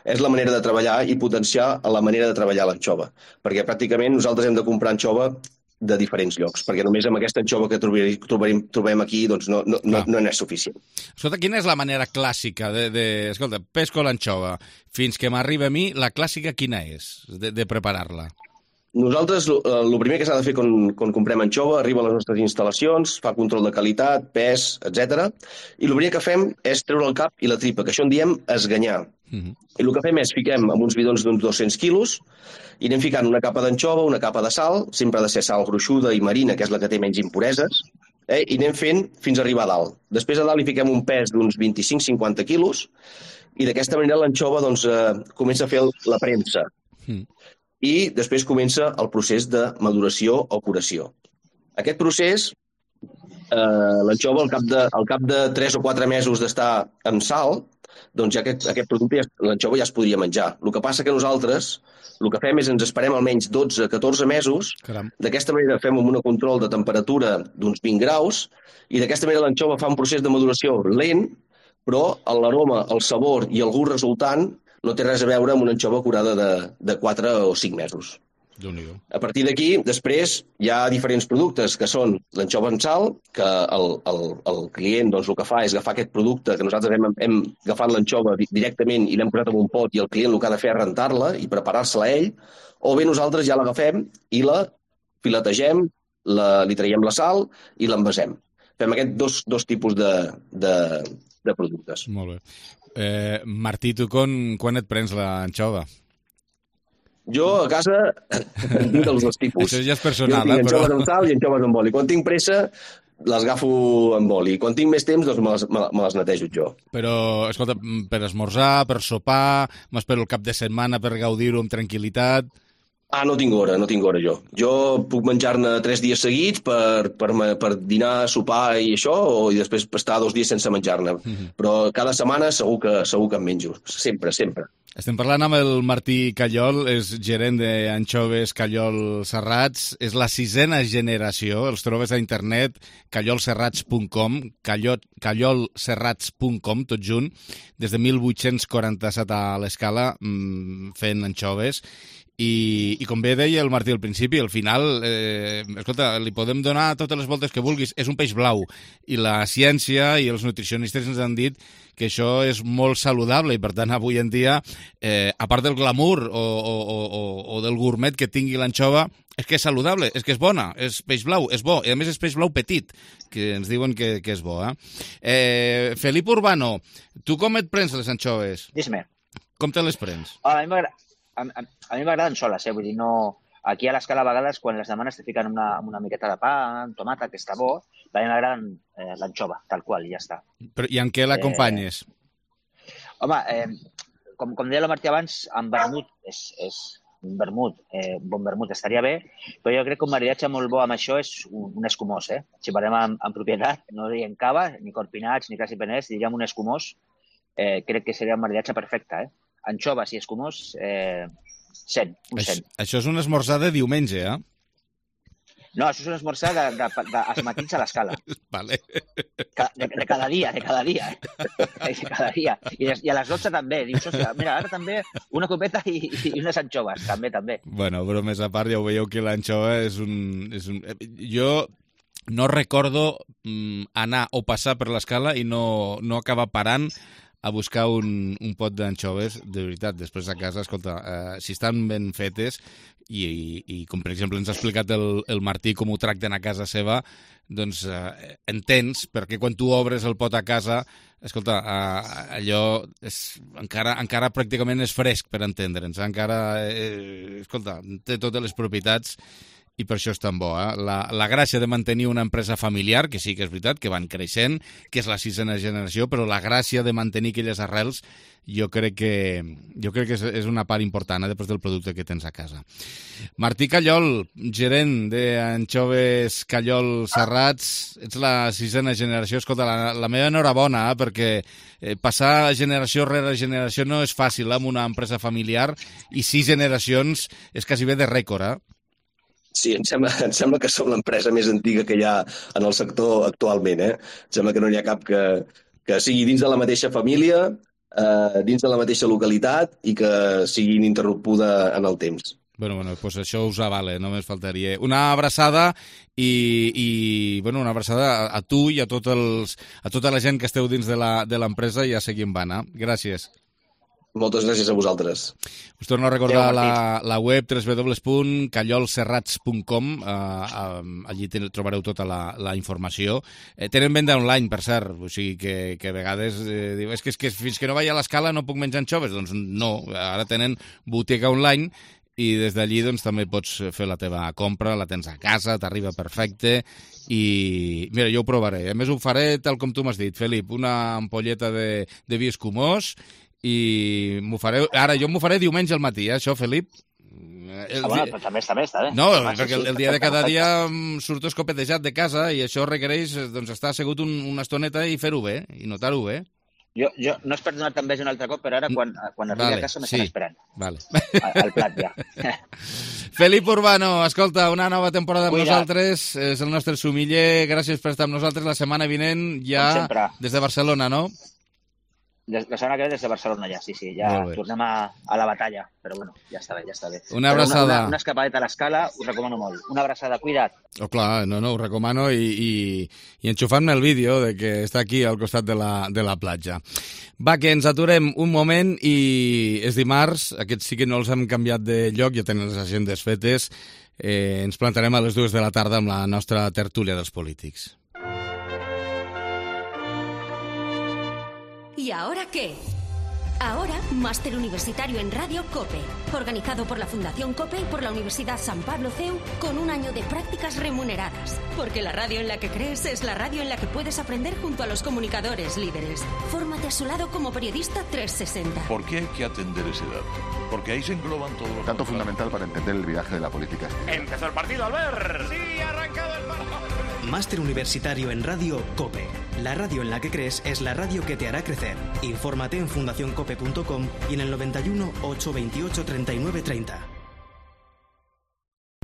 és la manera de treballar i potenciar la manera de treballar l'anxova, perquè pràcticament nosaltres hem de comprar anxova de diferents llocs, perquè només amb aquesta anxova que trobem, trobem, trobem aquí doncs no, no, no, no n'és suficient. Escolta, quina és la manera clàssica de... de escolta, pesco l'anxova, fins que m'arriba a mi, la clàssica quina és de, de preparar-la? Nosaltres, el primer que s'ha de fer quan, quan comprem anxova, arriba a les nostres instal·lacions, fa control de qualitat, pes, etcètera. I el primer que fem és treure el cap i la tripa, que això en diem esganyar. Mm-hmm. I el que fem és fiquem amb uns bidons d'uns dos-cents quilos i anem ficant una capa d'anxova, una capa de sal, sempre ha de ser sal gruixuda i marina, que és la que té menys impureses, eh? I anem fent fins a arribar a dalt. Després a dalt li fiquem un pes d'uns vint-i-cinc a cinquanta quilos i d'aquesta manera l'anxova doncs, eh, comença a fer la premsa. Mm. I després comença el procés de maduració o curació. Aquest procés, eh, l'anxova, al cap de, al cap de tres o quatre mesos d'estar amb sal, doncs ja aquest, aquest producte, ja, l'anxova ja es podria menjar. El que passa que nosaltres, el que fem és ens esperem almenys dotze a catorze mesos, Caram. D'aquesta manera fem un control de temperatura d'uns vint graus, i d'aquesta manera l'anxova fa un procés de maduració lent, però l'aroma, el sabor i el gust resultant no té res a veure amb una anxova curada de, de quatre o cinc mesos. A partir d'aquí, després, hi ha diferents productes que són l'anxova en sal, que el, el, el client doncs, el que fa és agafar aquest producte que nosaltres hem, hem agafat l'anxova directament i l'hem posat en un pot i el client el que ha de fer és rentar-la i preparar-se-la ell, o bé nosaltres ja l'agafem i la filetegem, la, li traiem la sal i l'envasem. Fem aquests dos, dos tipus de, de, de productes. Molt bé. Eh, Martí, tu quan, quan et prens l'anxova? Jo a casa en tinc dels dos tipus. Això ja és personal, jo tinc anxoves però... amb sal i anxoves amb oli. Quan tinc pressa les agafo amb oli. Quan tinc més temps doncs me les, me les netejo jo. Però, escolta, per esmorzar, per sopar, m'espero el cap de setmana per gaudir-ho amb tranquil·litat... Ah, no tinc hora, no tinc hora jo. Jo puc menjar-ne tres dies seguits per, per, per dinar, sopar i això, o i després estar dos dies sense menjar-ne. Mm-hmm. Però cada setmana segur que, segur que em menjo. Sempre, sempre. Estem parlant amb el Martí Callol, és gerent d'anxoves Callol Serrats, és la sisena generació, els trobes a internet, callol serrats punt com, callol serrats punt com, tot junt, des de mil vuit-cents quaranta-set a l'escala, fent anxoves. I, i com bé deia el Martí al principi, al final, eh, escolta, li podem donar totes les voltes que vulguis, és un peix blau, i la ciència i els nutricionistes ens han dit que això és molt saludable i, per tant, avui en dia, eh, a part del glamour o, o, o, o del gourmet que tingui l'anxova, és que és saludable, és que és bona, és peix blau, és bo, i a més és peix blau petit, que ens diuen que, que és bo. Eh? Eh, Felip Urbano, tu com et prens les anxoves? Dis-me. Com te les prens? A mi m'agrada. A, a, a mi m'agraden soles, eh? Vull dir, no... Aquí a l'escala a vegades, quan les demanes te fiquen una, una miqueta de pa, tomata, que està bo, a mi m'agraden eh, l'anxova, tal qual, i ja està. Però, I en què l'acompanyes? Eh, home, eh, com, com deia la Martí abans, amb vermut, és, és un vermut, eh, bon vermut estaria bé, però jo crec que un maridatge molt bo amb això és un, un escumós, eh? Si parlem en, en propietat, no diem cava, ni corpinats, ni quasi peners, diríem un escumós, eh, crec que seria un maridatge perfecte, eh? Anxoves i escumós, eh, cent, un cent. Això, això és un esmorzar de diumenge, eh? No, això és un esmorzar de, de, de, de, als matins a l'escala. Vale. De, de, de cada dia, de cada dia. Eh? De cada dia. I, des, I a les dotze també. Dius, hòstia, mira, ara també una copeta i, i unes anxoves, també, també. Bueno, però més a part ja ho veieu que l'anxova és un... És un... Jo no recordo mm, anar o passar per l'escala i no, no acabar parant a buscar un, un pot d'anxoves, de veritat, després a casa, escolta, eh, si estan ben fetes, i, i, i com per exemple ens ha explicat el, el Martí com ho tracten a casa seva, doncs eh, entens, perquè quan tu obres el pot a casa, escolta, eh, allò és, encara, encara pràcticament és fresc, per entendre'ns, encara, eh, escolta, té totes les propietats, i per això és tan bo. Eh? La, la gràcia de mantenir una empresa familiar, que sí que és veritat, que van creixent, que és la sisena generació, però la gràcia de mantenir aquelles arrels jo crec que, jo crec que és, és una part important, eh, després del producte que tens a casa. Martí Callol, gerent d'anxoves Callol Serrats, ets la sisena generació. Escolta, la, la meva enhorabona, eh, perquè eh, passar generació rere generació no és fàcil eh, amb una empresa familiar, i sis generacions és quasi bé de rècord, eh? Sí, em sembla, em sembla que som l'empresa més antiga que hi ha en el sector actualment. Eh? Em sembla que no n'hi ha cap que, que sigui dins de la mateixa família, eh, dins de la mateixa localitat i que sigui ininterrompuda en el temps. Bueno, bueno, pues això us avale, només faltaria. Una abraçada i, i bueno, una abraçada a, a tu i a, tot els, a tota la gent que esteu dins de l'empresa i a seguir en vana. Gràcies. Moltes gràcies a vosaltres. Us torno a recordar la, la web w w w punt callol serrats punt com. Uh, uh, allí ten, trobareu tota la, la informació. Eh, tenen venda online, per cert, o sigui que, que a vegades eh, diu, és que, és que fins que no vaig a l'escala no puc menjar anxoves. Doncs no, ara tenen botiga online i des d'allí doncs, també pots fer la teva compra, la tens a casa, t'arriba perfecte i mira, jo ho provaré. A més ho faré tal com tu m'has dit, Felip, una ampolleta de, de vi escumós i m'ho faré... Ara, jo m'ho faré diumenge al matí, eh, això, Felip? El ah, bueno, dia... també està bé, està bé. No, ah, perquè el, el dia de cada dia surto escopetejat de casa i això requereix doncs, estar assegut un, una estoneta i fer-ho bé, i notar-ho bé. Jo, jo no és per donar també un altre cop, però ara quan, quan arribi vale, a casa m'estan sí. esperant. Vale. Al plat ja. Felip Urbano, escolta, una nova temporada amb Cuida. nosaltres, és el nostre sumiller, gràcies per estar amb nosaltres la setmana vinent ja des de Barcelona, no? La setmana que ve des de Barcelona ja, sí, sí, ja tornem a, a la batalla, però bueno, ja està bé, ja està bé. Una abraçada. Una, una, una escapadeta a l'escala, us recomano molt. Una abraçada, cuida't. Oh, clar, no, no, ho recomano i, i, i enxufant-me el vídeo de que està aquí al costat de la, de la platja. Va, que ens aturem un moment i és dimarts, aquests sí que no els hem canviat de lloc, ja tenen les agendes fetes, eh, ens plantarem a les dues de la tarda amb la nostra tertúlia dels polítics. ¿Y ahora qué? Ahora, máster universitario en Radio COPE, organizado por la Fundación COPE y por la Universidad San Pablo C E U, con un año de prácticas remuneradas. Porque la radio en la que crees es la radio en la que puedes aprender junto a los comunicadores líderes. Fórmate a su lado como periodista trescientos sesenta. ¿Por qué hay que atender ese dato? Porque ahí se engloban todos los... Tanto fundamental para entender el viraje de la política. Empezó el partido, Albert. Sí, ha arrancado el partido. Máster universitario en Radio COPE. La radio en la que crees es la radio que te hará crecer. Infórmate en fundación cope punto com y en el noventa y uno, ochocientos veintiocho, treinta y nueve treinta.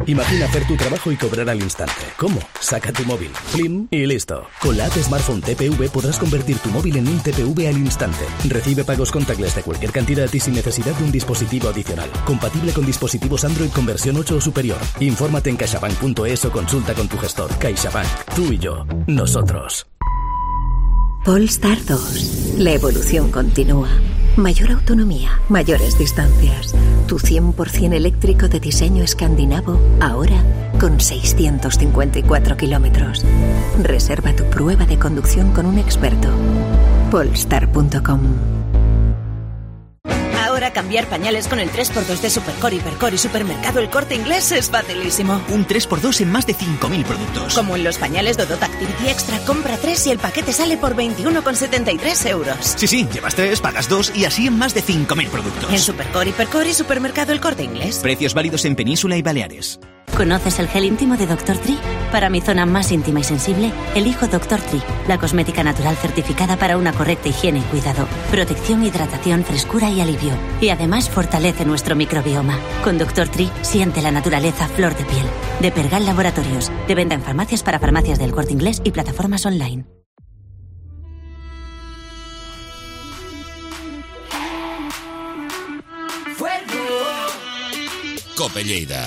Imagina hacer tu trabajo y cobrar al instante. ¿Cómo? Saca tu móvil, plim y listo. Con la app Smartphone T P V podrás convertir tu móvil en un T P V al instante. Recibe pagos contactless de cualquier cantidad y sin necesidad de un dispositivo adicional. Compatible con dispositivos Android con versión ocho o superior. Infórmate en caixabank punto es o consulta con tu gestor. CaixaBank. Tú y yo. Nosotros. Polestar dos. La evolución continúa. Mayor autonomía, mayores distancias. Tu cien por ciento eléctrico de diseño escandinavo, ahora con seiscientos cincuenta y cuatro kilómetros. Reserva tu prueba de conducción con un experto. Polestar punto com. Ahora cambiar pañales con el tres por dos de Supercore, Hipercore y Supermercado El Corte Inglés es facilísimo. Un tres por dos en más de cinco mil productos. Como en los pañales Dodot Activity Extra, compra tres y el paquete sale por veintiuno con setenta y tres euros. Sí, sí, llevas tres, pagas dos y así en más de cinco mil productos. En Supercore, Hipercore y Supermercado El Corte Inglés. Precios válidos en Península y Baleares. ¿Conoces el gel íntimo de doctor Tree? Para mi zona más íntima y sensible, elijo doctor Tree, la cosmética natural certificada para una correcta higiene y cuidado, protección, hidratación, frescura y alivio. Y además fortalece nuestro microbioma. Con doctor Tree siente la naturaleza a flor de piel. De Pergal Laboratorios, de venta en farmacias para farmacias del Corte Inglés y plataformas online. COPE Lleida.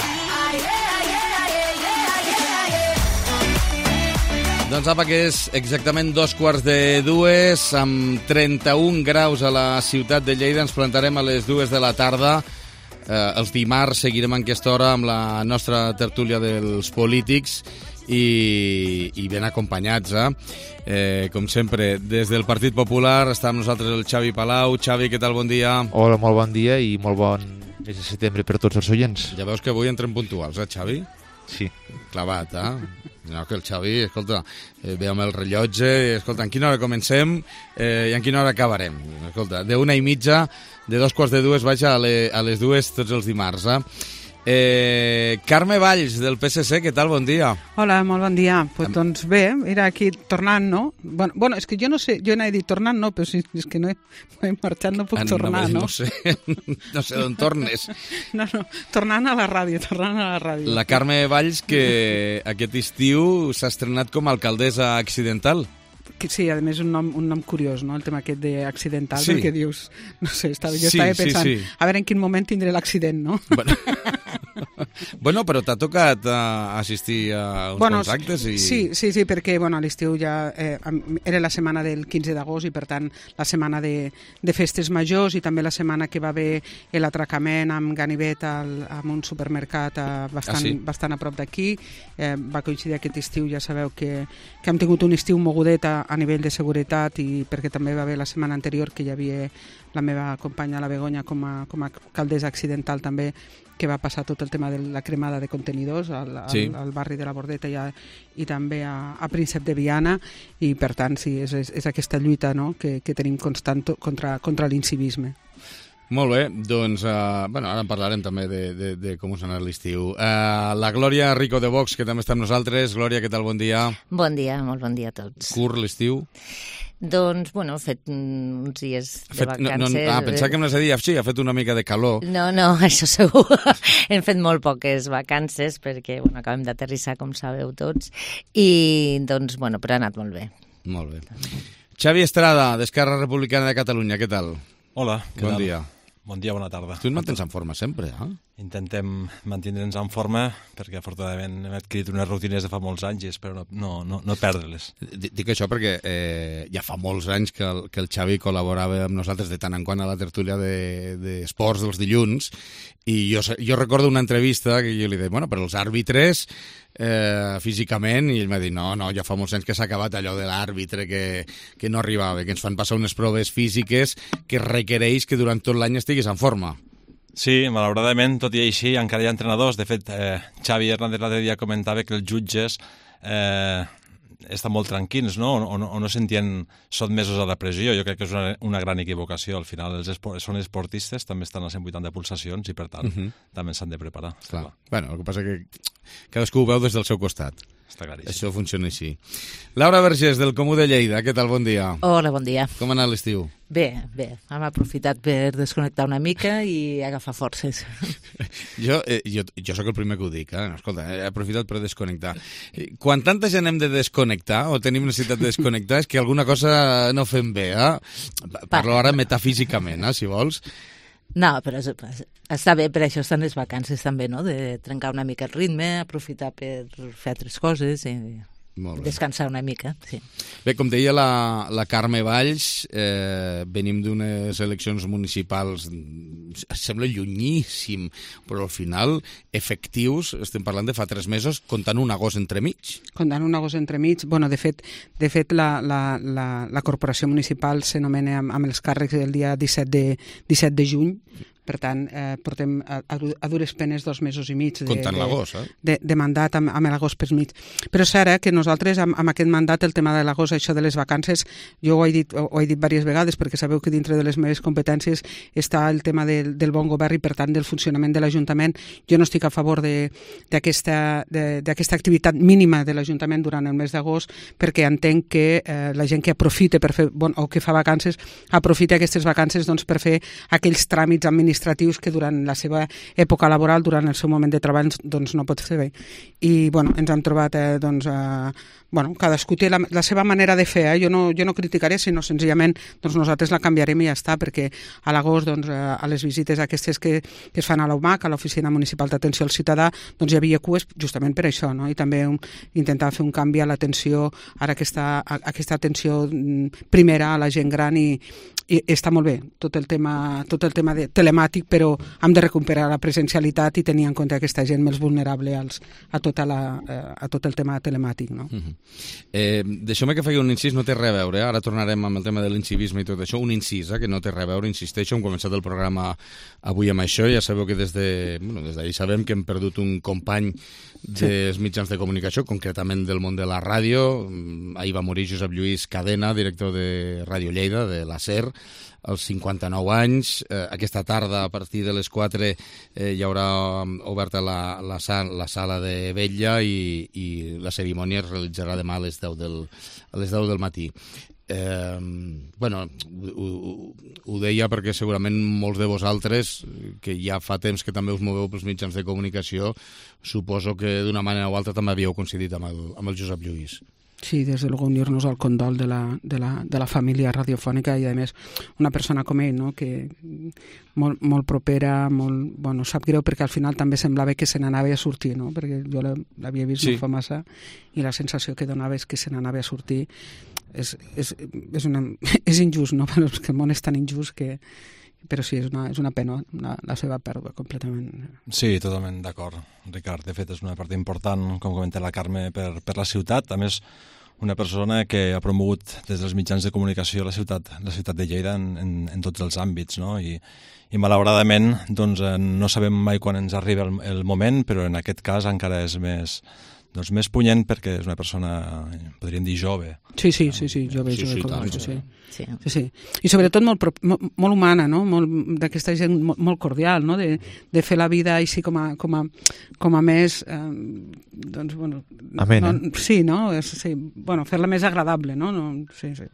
Doncs apa, que és exactament dos quarts de dues, amb trenta-un graus a la ciutat de Lleida. Ens plantarem a les dues de la tarda. Eh, els dimarts seguirem en aquesta hora amb la nostra tertúlia dels polítics i, i ben acompanyats, eh? Eh, com sempre, des del Partit Popular està amb nosaltres el Xavi Palau. Xavi, què tal? Bon dia. Hola, molt bon dia i molt bon mes de setembre per tots els oients. Ja veus que avui entrem puntuals, eh, Xavi? Sí. Clavat, eh? No, que el Xavi, escolta, eh, ve amb el rellotge, escolta, en quina hora comencem eh, i en quina hora acabarem. Escolta, d'una i mitja, de dos quarts de dues, vaja, a, le, a les dues tots els dimarts, eh? Eh, Carme Valls, del P S C, què tal? Bon dia. Hola, molt bon dia. Pues, doncs bé, era aquí tornant, no? Bueno, bueno, és que jo no sé, jo n'he dit tornant, no, però si és que no he, he marxat, no puc ah, tornar, no? No sé, no sé d'on tornes. No, no, tornant a la ràdio, tornant a la ràdio. La Carme Valls, que aquest estiu s'ha estrenat com a alcaldessa accidental. Sí, a més un nom, un nom curiós, no? El tema aquest d'accidental, sí. Perquè dius, no sé, estava, jo sí, estava pensant, sí, sí. A veure en quin moment tindré l'accident, no? Bueno, bueno però t'ha tocat uh, assistir a uns bueno, quants actes i... Sí, sí, sí, perquè bueno, a l'estiu ja eh, era la setmana del quinze d'agost i per tant la setmana de, de festes majors i també la setmana que va haver l'atracament amb ganivet al, amb un supermercat eh, bastant, ah, sí? bastant a prop d'aquí. Eh, va coincidir aquest estiu, ja sabeu que, que hem tingut un estiu mogudet a, a nivell de seguretat i perquè també va haver la setmana anterior que hi havia la meva companya, la Begoña, com a, com a alcaldessa accidental també, que va passar tot el tema de la cremada de contenidors al, al, sí. al barri de la Bordeta i, a, i també a, a Príncep de Viana i per tant sí, és, és, és aquesta lluita, no? que, que tenim constant contra, contra l'incivisme. Molt bé, doncs uh, bueno, ara en parlarem també de, de, de com us ha anat l'estiu. Uh, la Glòria Rico de Vox, que també està amb nosaltres. Glòria, què tal? Bon dia. Bon dia, molt bon dia a tots. Curt l'estiu? Doncs, bueno, he fet uns dies de fet, vacances... No, no, ah, pensava que em anaves a dir, sí, ha fet una mica de calor. No, no, això segur. Hem fet molt poques vacances perquè, bueno, acabem d'aterrissar, com sabeu tots, i, doncs, bueno, però ha anat molt bé. Molt bé. Xavi Estrada, d'Esquerra Republicana de Catalunya, què tal? Hola, què bon tal? Dia. Bon dia, bona tarda. Tu et mantens en forma sempre, eh? intentem mantindre'ns en forma perquè afortunadament hem adquirit unes rutines de fa molts anys i espero no, no, no perdre-les. Dic això perquè eh, ja fa molts anys que el, que el Xavi col·laborava amb nosaltres de tant en quant a la tertúlia d'esports de, dels dilluns i jo, jo recordo una entrevista que jo li deia, bueno, però els àrbitres eh, físicament, i ell m'ha dit, no, no, ja fa molts anys que s'ha acabat allò de l'àrbitre que, que no arribava, que ens fan passar unes proves físiques que requereix que durant tot l'any estiguis en forma. Sí, malauradament, tot i així, encara hi ha entrenadors. De fet, eh, Xavi Hernández l'altre dia comentava que els jutges eh, estan molt tranquils, no? O, no, o no sentien sotmesos a la pressió. Jo crec que és una, una gran equivocació. Al final, els esport, són esportistes, també estan a cent vuitanta pulsacions i, per tant, uh-huh. també s'han de preparar. Clar. Clar. Bueno, el que passa que cadascú ho veu des del seu costat. Està claríssim. Això funciona així. Laura Vergés, del Comú de Lleida, què tal? Bon dia. Hola, bon dia. Com ha anat l'estiu? Bé, bé. Hem aprofitat per desconnectar una mica i agafar forces. jo, eh, jo, jo sóc el primer que ho dic, eh? Escolta, he aprofitat per desconnectar. Quan tanta gent hem de desconnectar o tenim necessitat de desconnectar és que alguna cosa no fem bé, eh? Parlo ara metafísicament, eh, si vols. No, però és, està bé, per això estan les vacances també, no? De trencar una mica el ritme, aprofitar per fer altres coses i descansar una mica, sí. Bé, com deia la, la Carme Valls, eh, venim d'unes eleccions municipals, sembla llunyíssim, però al final, efectius, estem parlant de fa tres mesos, comptant un agost entremig. Comptant un agost entremig, bueno, de fet, de fet la, la, la, la corporació municipal s'anomena amb, amb els càrrecs el dia disset de juny, per tant, eh, portem a, a dures penes dos mesos i mig de, comptant l'agost, eh? de, de mandat amb, amb l'agost per mig. Però és cert eh, que nosaltres amb, amb aquest mandat, el tema de l'agost, això de les vacances, jo ho he dit, ho he dit diverses vegades perquè sabeu que dintre de les meves competències està el tema del, del bon govern i per tant del funcionament de l'Ajuntament. Jo no estic a favor d'aquesta activitat mínima de l'Ajuntament durant el mes d'agost perquè entenc que eh, la gent que aprofita per fer, bon, o que fa vacances aprofita aquestes vacances doncs, per fer aquells tràmits administratius administratius que durant la seva època laboral, durant el seu moment de treball, doncs no pot fer bé. I, bueno, ens hem trobat, eh, doncs, eh, bueno, cadascú té la, la seva manera de fer, eh? jo, no, jo no criticaré, sinó senzillament doncs nosaltres la canviarem i ja està, perquè a l'agost, doncs, a les visites aquestes que, que es fan a l'O M A C, a l'Oficina Municipal d'Atenció al Ciutadà, doncs hi havia cues justament per això, no? I també un, intentar fer un canvi a l'atenció, ara aquesta, aquesta atenció primera a la gent gran i, i està molt bé, tot el tema, tot el tema de telemàtic, però hem de recuperar la presencialitat i tenir en compte aquesta gent més vulnerable als, a, tota la, a tot el tema telemàtic, no? Uh-huh. Eh, Deixeu-me que faci un incís, no té res a veure, eh? Ara tornarem amb el tema de l'incivisme i tot això, un incís, eh? Que no té res a veure, insisteixo, hem començat el programa avui amb això, ja sabeu que des de, bueno, des d'ahir sabem que hem perdut un company dels sí. mitjans de comunicació, concretament del món de la ràdio. Ahir va morir Josep Lluís Cadena, director de Ràdio Lleida, de la SER, als cinquanta-nou anys. Eh, aquesta tarda, a partir de les quatre, eh, hi haurà oberta la, la, sal, la sala de vetlla i, i la cerimònia es realitzarà demà a les deu del, a les deu del matí. Eh, bueno, ho, ho, ho deia perquè segurament molts de vosaltres, que ja fa temps que també us moveu pels mitjans de comunicació, suposo que d'una manera o altra també havíeu coincidit amb el, amb el Josep Lluís. Sí, des de luego unir-nos al condol de la, de, la, de la família radiofònica i a més una persona com ell, no? Que molt, molt propera, molt, bueno, sap greu perquè al final també semblava que se n'anava a sortir, no? Perquè jo l'havia vist sí. no fa massa i la sensació que donava és que se n'anava a sortir. És, és, és, una, és injust, no? Però és que el món és tan injust que... Però sí, és una, és una pena, la, la seva pèrdua, completament. Sí, totalment d'acord, Ricard. De fet, és una part important, com comenta la Carme, per, per la ciutat. A més, una persona que ha promogut des dels mitjans de comunicació la ciutat, la ciutat de Lleida en, en, en tots els àmbits, no? I, i malauradament doncs, no sabem mai quan ens arriba el, el moment, però en aquest cas encara és més... doncs més punyent perquè és una persona, podríem dir, jove. Sí, sí, sí, sí jove, sí, jove, sí, tant, sí. Sí. Sí, sí. I sobretot molt, molt, molt humana, no? Molt, d'aquesta gent molt, molt cordial, no? De, de fer la vida així com a, com a, com a més... Eh, doncs, bueno... Amena. No, sí, no? És, sí, bueno, fer-la més agradable, no? no sí, sí.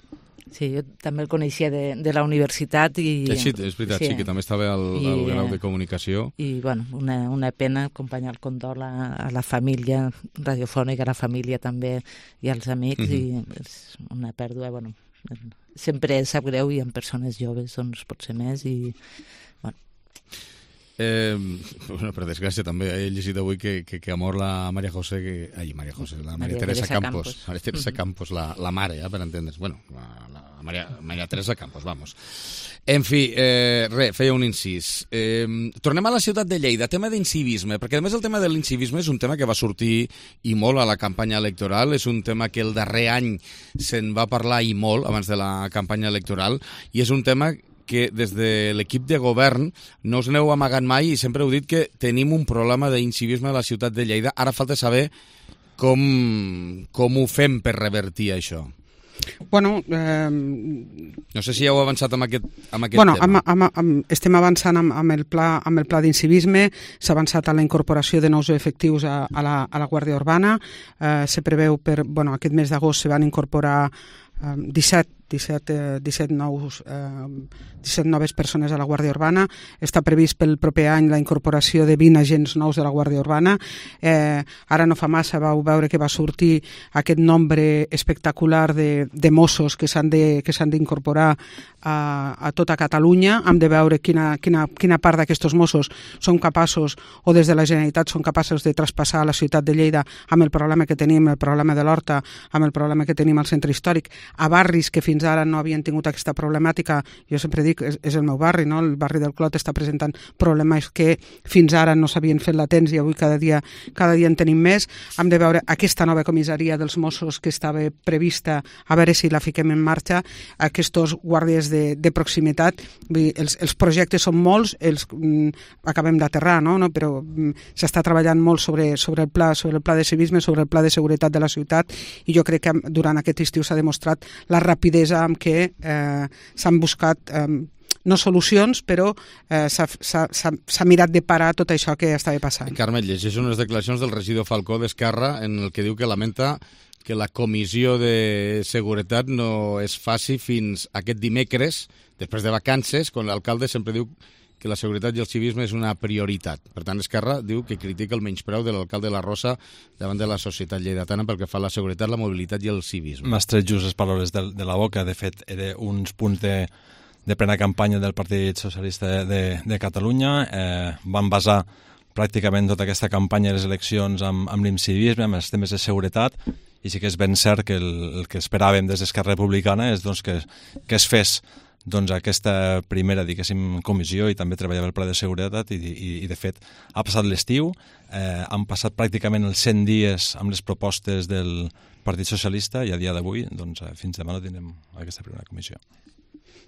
Sí, jo també el coneixia de, de la universitat i... Sí, és veritat, sí, sí que també estava al, I, al grau de comunicació. I, bueno, una, una pena acompanyar el condol a, a la família radiofònica, a la família també i als amics, mm-hmm. i és una pèrdua, bueno, sempre sap greu i en persones joves doncs pot ser més i... Bueno. Eh, bueno, per desgràcia també he llegit avui que, que, que ha mort la Maria José, que, ai, Maria José, la Maria, Maria Teresa, Teresa Campos, Campos. Maria Teresa mm-hmm. Campos, la, la mare, eh, per entendre's. Bueno, la, la Maria, Maria Teresa Campos, vamos. En fi, eh, res, feia un incís. Eh, tornem a la ciutat de Lleida, tema d'incivisme, perquè a més el tema de l'incivisme és un tema que va sortir i molt a la campanya electoral, és un tema que el darrer any se'n va parlar i molt abans de la campanya electoral, i és un tema que des de l'equip de govern no us n'heu amagat mai i sempre heu dit que tenim un problema d'incivisme a la ciutat de Lleida. Ara falta saber com, com ho fem per revertir això. Bueno, eh... no sé si ja heu avançat amb aquest, amb aquest bueno, tema. Amb, amb, amb, estem avançant amb, amb, el pla, amb el pla d'incivisme, s'ha avançat a la incorporació de nous efectius a, a, la, a la Guàrdia Urbana, eh, se preveu per, bueno, aquest mes d'agost se van incorporar eh, disset disset, eh, disset, nous, eh, disset noves persones a la Guàrdia Urbana. Està previst pel proper any la incorporació de vint agents nous de la Guàrdia Urbana. Eh, ara no fa massa vau veure que va sortir aquest nombre espectacular de, de Mossos que s'han de, que s'han d'incorporar a, a tota Catalunya. Hem de veure quina, quina, quina part d'aquests Mossos són capaços, o des de la Generalitat són capaços de traspassar a la ciutat de Lleida amb el problema que tenim, el problema de l'Horta, amb el problema que tenim al centre històric, a barris que fins ara no havien tingut aquesta problemàtica. Jo sempre dic, és, és el meu barri, no? El barri del Clot està presentant problemes que fins ara no s'havien fet latents i avui cada dia, cada dia en tenim més. Hem de veure aquesta nova comissaria dels Mossos que estava prevista, a veure si la fiquem en marxa, aquests guàrdies de, de proximitat. Vull dir, els, els projectes són molts, els mm, acabem d'aterrar, no? no? Però mm, s'està treballant molt sobre, sobre, el pla, sobre el pla de civisme, sobre el pla de seguretat de la ciutat, i jo crec que durant aquest estiu s'ha demostrat la rapidesa amb què eh, s'han buscat eh, no solucions, però eh, s'ha mirat de parar tot això que estava passant. Carme, llegeix unes declaracions del regidor Falcó d'Esquerra en el que diu que lamenta que la comissió de seguretat no es faci fins aquest dimecres, després de vacances, quan l'alcalde sempre diu que la seguretat i el civisme és una prioritat. Per tant, Esquerra diu que critica el menyspreu de l'alcalde de la Rosa davant de la societat lleidatana pel que fa a la seguretat, la mobilitat i el civisme. M'has tret just les paraules de, de la boca. De fet, era uns punts de, de plena campanya del Partit Socialista de, de Catalunya. Eh, van basar pràcticament tota aquesta campanya de les eleccions amb, amb l'incivisme, amb els temes de seguretat, i sí que és ben cert que el, el que esperàvem des d'Esquerra Republicana és doncs, que, que es fes doncs aquesta primera, diguéssim, comissió i també treballava el pla de seguretat i, i, i de fet, ha passat l'estiu, eh, han passat pràcticament els cent dies amb les propostes del Partit Socialista i a dia d'avui, doncs, fins demà no tindrem aquesta primera comissió.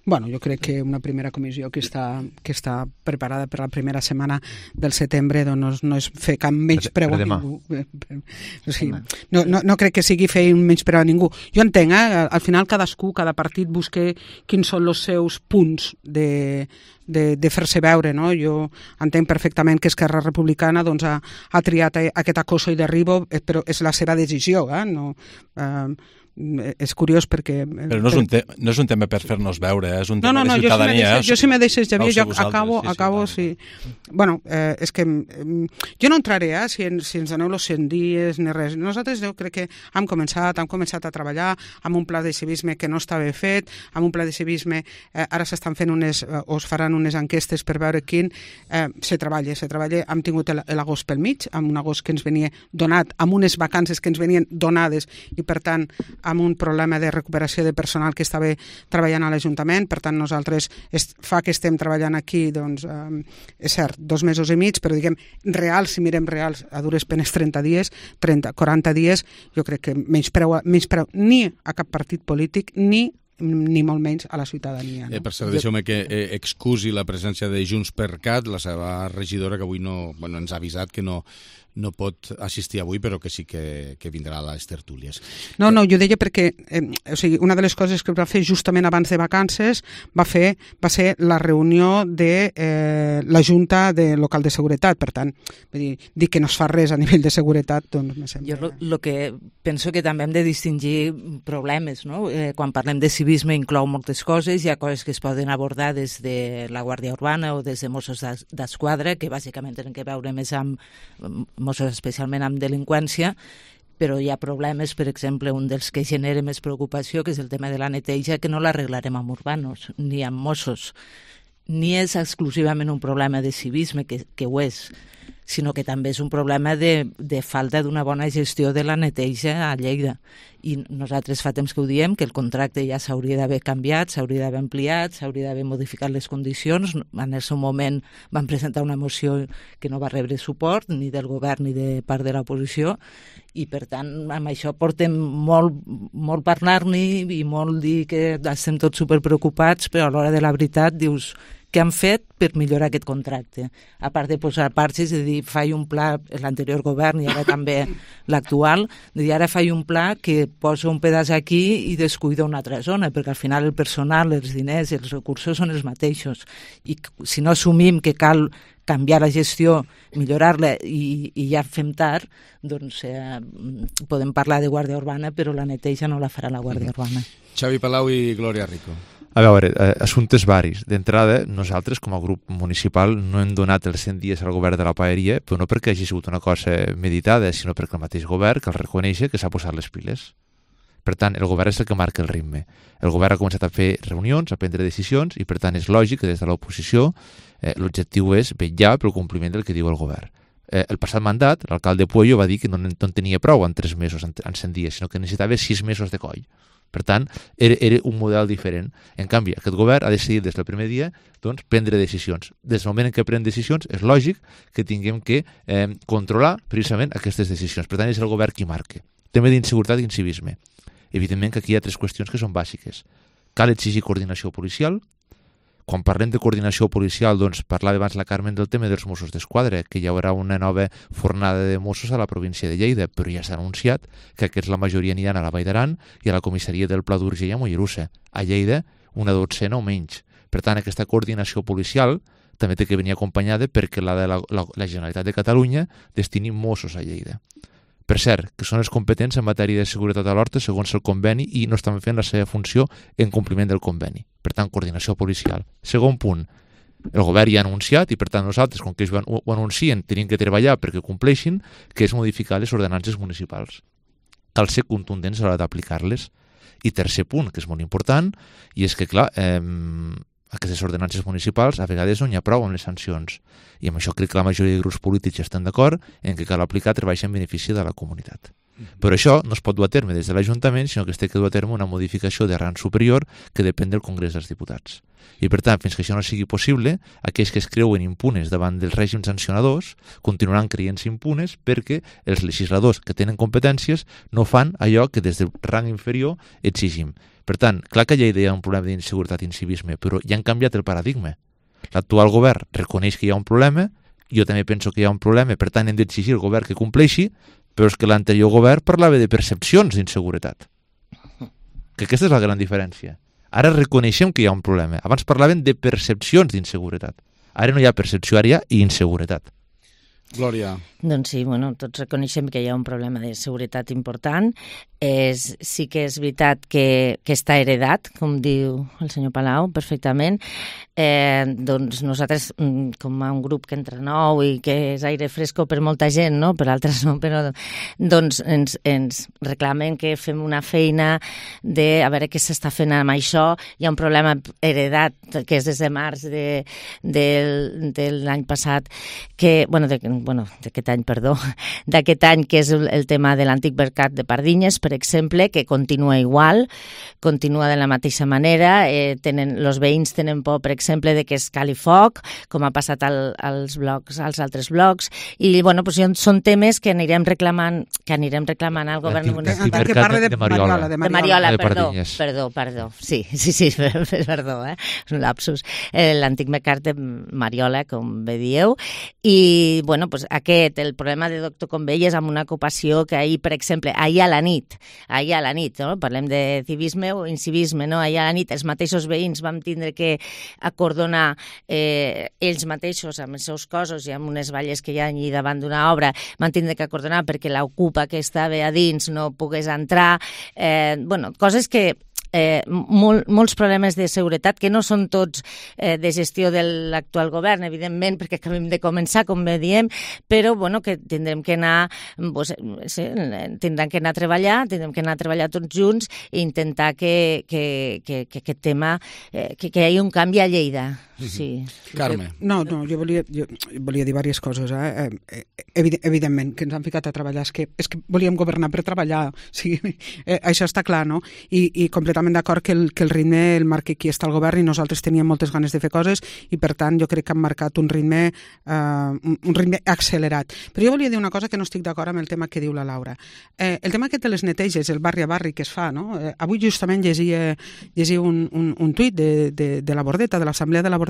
Bueno, jo crec que una primera comissió que està, que està preparada per la primera setmana del setembre doncs no és fer cap menyspreu a ningú. O sigui, no, no, no crec que sigui fer un menyspreu a ningú. Jo entenc, eh? Al final cadascú, cada partit busca quins són els seus punts de, de, de fer-se veure, no? Jo entenc perfectament que Esquerra Republicana doncs, ha, ha triat aquest acoso i derribo, però és la seva decisió, eh? No, eh, és curiós perquè... Però no és un, te no és un tema per fer-nos veure, eh? És un tema no, no, no, de ciutadania. Jo si me deixes, Javier, jo acabo, sí, sí, acabo, sí. sí. Bueno, eh, és que eh, jo no entraré, eh, si, en, si ens aneu els cent dies ni res. Nosaltres jo crec que hem començat, hem començat a treballar amb un pla de civisme que no estava fet, amb un pla de civisme, eh, ara s'estan fent unes, eh, o es faran unes enquestes per veure quin eh, se treballa, se treballa. Hem tingut l'agost pel mig, amb un agost que ens venia donat, amb unes vacances que ens venien donades i, per tant, amb un problema de recuperació de personal que estava treballant a l'Ajuntament. Per tant, nosaltres est, fa que estem treballant aquí, doncs, eh, és cert, dos mesos i mig, però diguem, reals, si mirem reals, a dures penes trenta dies, trenta, quaranta dies, jo crec que menyspreu, menyspreu ni a cap partit polític, ni ni molt menys a la ciutadania. No? Eh, per cert, deixeu-me que eh, excusi la presència de Junts per Cat, la seva regidora, que avui no, bueno, ens ha avisat que no, no pot assistir avui, però que sí que, que vindrà a les tertúlies. No, no, jo deia perquè eh, o sigui, una de les coses que va fer justament abans de vacances va, fer, va ser la reunió de eh, la Junta de Local de Seguretat. Per tant, vull dir, dir que no es fa res a nivell de seguretat, doncs me sembla... Jo el que penso que també hem de distingir problemes, no? Eh, quan parlem de civisme inclou moltes coses, hi ha coses que es poden abordar des de la Guàrdia Urbana o des de Mossos d'Esquadra, que bàsicament tenen que veure més amb Mossos especialment amb delinqüència, però hi ha problemes, per exemple, un dels que genera més preocupació, que és el tema de la neteja, que no l'arreglarem amb urbanos, ni amb Mossos, ni és exclusivament un problema de civisme, que, que ho és, sinó que també és un problema de, de falta d'una bona gestió de la neteja a Lleida. I nosaltres fa temps que ho diem, que el contracte ja s'hauria d'haver canviat, s'hauria d'haver ampliat, s'hauria d'haver modificat les condicions. En el seu moment van presentar una moció que no va rebre suport ni del govern ni de part de l'oposició, i per tant amb això portem molt, molt parlar-ne i molt dir que estem tots superpreocupats, però a l'hora de la veritat dius què han fet per millorar aquest contracte. A part de posar parxes, de dir, faig un pla, l'anterior govern i ara també l'actual, de dir, ara faig un pla que posa un pedaç aquí i descuida una altra zona, perquè al final el personal, els diners, els recursos són els mateixos. I si no assumim que cal canviar la gestió, millorar-la i, i ja fem tard, doncs eh, podem parlar de Guàrdia Urbana, però la neteja no la farà la Guàrdia Urbana. Xavi Palau i Glòria Rico. A veure, eh, assumptes varis. D'entrada, nosaltres, com a grup municipal, no hem donat els cent dies al govern de la paeria, però no perquè hagi sigut una cosa meditada, sinó perquè el mateix govern cal reconèixer que s'ha posat les piles. Per tant, el govern és el que marca el ritme. El govern ha començat a fer reunions, a prendre decisions, i per tant és lògic que des de l'oposició eh, l'objectiu és vetllar pel compliment del que diu el govern. Eh, el passat mandat, l'alcalde Puello va dir que no, no en tenia prou en tres mesos, en, en cent dies, sinó que necessitava sis mesos de coll. Per tant, era, era un model diferent. En canvi, aquest govern ha decidit des del primer dia doncs, prendre decisions. Des del moment en què pren decisions, és lògic que tinguem que eh, controlar precisament aquestes decisions. Per tant, és el govern qui marca. Tema d'inseguretat i incivisme. Evidentment que aquí hi ha tres qüestions que són bàsiques. Cal exigir coordinació policial. Quan parlem de coordinació policial, doncs parlava abans la Carmen del tema dels Mossos d'Esquadra, que hi haurà una nova fornada de Mossos a la província de Lleida, però ja s'ha anunciat que aquests la majoria aniran a la Vall d'Aran i a la comissaria del Pla d'Urgell a Mollerussa. A Lleida, una dotzena o menys. Per tant, aquesta coordinació policial també té que venir acompanyada perquè la de la, la, la Generalitat de Catalunya destini Mossos a Lleida. Per cert, que són els competents en matèria de seguretat a l'horta segons el conveni i no estan fent la seva funció en compliment del conveni. Per tant, coordinació policial. Segon punt, el govern ja ha anunciat i per tant nosaltres, com que ells ho anuncien, tenim que treballar perquè compleixin, que és modificar les ordenances municipals. Cal ser contundents a l'hora d'aplicar-les. I tercer punt, que és molt important, i és que, clar, eh, aquestes ordenances municipals a vegades no n'hi ha prou amb les sancions. I amb això crec que la majoria de grups polítics estan d'acord en que cal aplicar treballs en benefici de la comunitat. Però això no es pot dur a terme des de l'Ajuntament, sinó que es té que dur a terme una modificació de rang superior que depèn del Congrés dels Diputats. I per tant, fins que això no sigui possible, aquells que es creuen impunes davant dels règims sancionadors continuaran creient-se impunes perquè els legisladors que tenen competències no fan allò que des del rang inferior exigim. Per tant, clar que ja hi ha un problema d'inseguretat i incivisme, però ja han canviat el paradigma. L'actual govern reconeix que hi ha un problema, jo també penso que hi ha un problema, per tant hem d'exigir al govern que compleixi, però és que l'anterior govern parlava de percepcions d'inseguretat. Que aquesta és la gran diferència. Ara reconeixem que hi ha un problema. Abans parlaven de percepcions d'inseguretat. Ara no hi ha percepció, ara hi ha inseguretat. Glòria. Doncs sí, bueno, tots reconeixem que hi ha un problema de seguretat important. És, sí que és veritat que, que està heredat, com diu el senyor Palau, perfectament. Eh, doncs nosaltres, com a un grup que entra nou i que és aire fresco per molta gent, no? Per altres no, però doncs ens, ens reclamen que fem una feina de a veure què s'està fent amb això. Hi ha un problema heredat que és des de març de, de, de l'any passat, que, bueno, de, bueno, d'aquest any, perdó, d'aquest any, que és el, el tema de l'antic mercat de Pardinyes, per exemple, que continua igual, continua de la mateixa manera, eh, tenen, els veïns tenen por, per exemple, de que es cali foc, com ha passat al, als blocs, als altres blocs, i, bueno, pues, són temes que anirem reclamant, que anirem reclamant al govern municipal. Que parla de, de Mariola. De Mariola, perdó, perdó, perdó, sí, sí, sí, perdó, eh? És un lapsus. Eh, l'antic mercat de Mariola, com bé dieu, i, bueno, pues, aquest, el problema de Doctor Convell és amb una ocupació que ahir, per exemple, ahir a la nit, ahir a la nit, no? Parlem de civisme o incivisme, no? Ahir a la nit els mateixos veïns vam tindre que acordonar eh, ells mateixos amb els seus cossos i amb unes valles que hi ha allà davant d'una obra, van tindre que acordonar perquè l'ocupa que estava a dins no pogués entrar. Eh, bueno, coses que eh, mol, molts problemes de seguretat, que no són tots eh, de gestió de l'actual govern, evidentment, perquè acabem de començar, com bé diem, però bueno, que tindrem que anar, pues, sí, tindrem que anar a treballar, tindrem que anar a treballar tots junts i intentar que, que, que, que aquest tema, eh, que, que hi hagi un canvi a Lleida. Sí. Carme. No, no, jo volia, jo volia dir diverses coses. Eh? Evident, evidentment, que ens han ficat a treballar. És que, és que volíem governar per treballar. O sigui, eh, això està clar, no? I, i completament d'acord que, el, que el ritme el marca qui està al govern i nosaltres teníem moltes ganes de fer coses i, per tant, jo crec que han marcat un ritme, eh, un, un ritme accelerat. Però jo volia dir una cosa que no estic d'acord amb el tema que diu la Laura. Eh, el tema aquest de les neteges, el barri a barri que es fa, no? Eh, avui justament llegia, llegia un, un, un tuit de, de, de la Bordeta, de l'Assemblea de la Bordeta,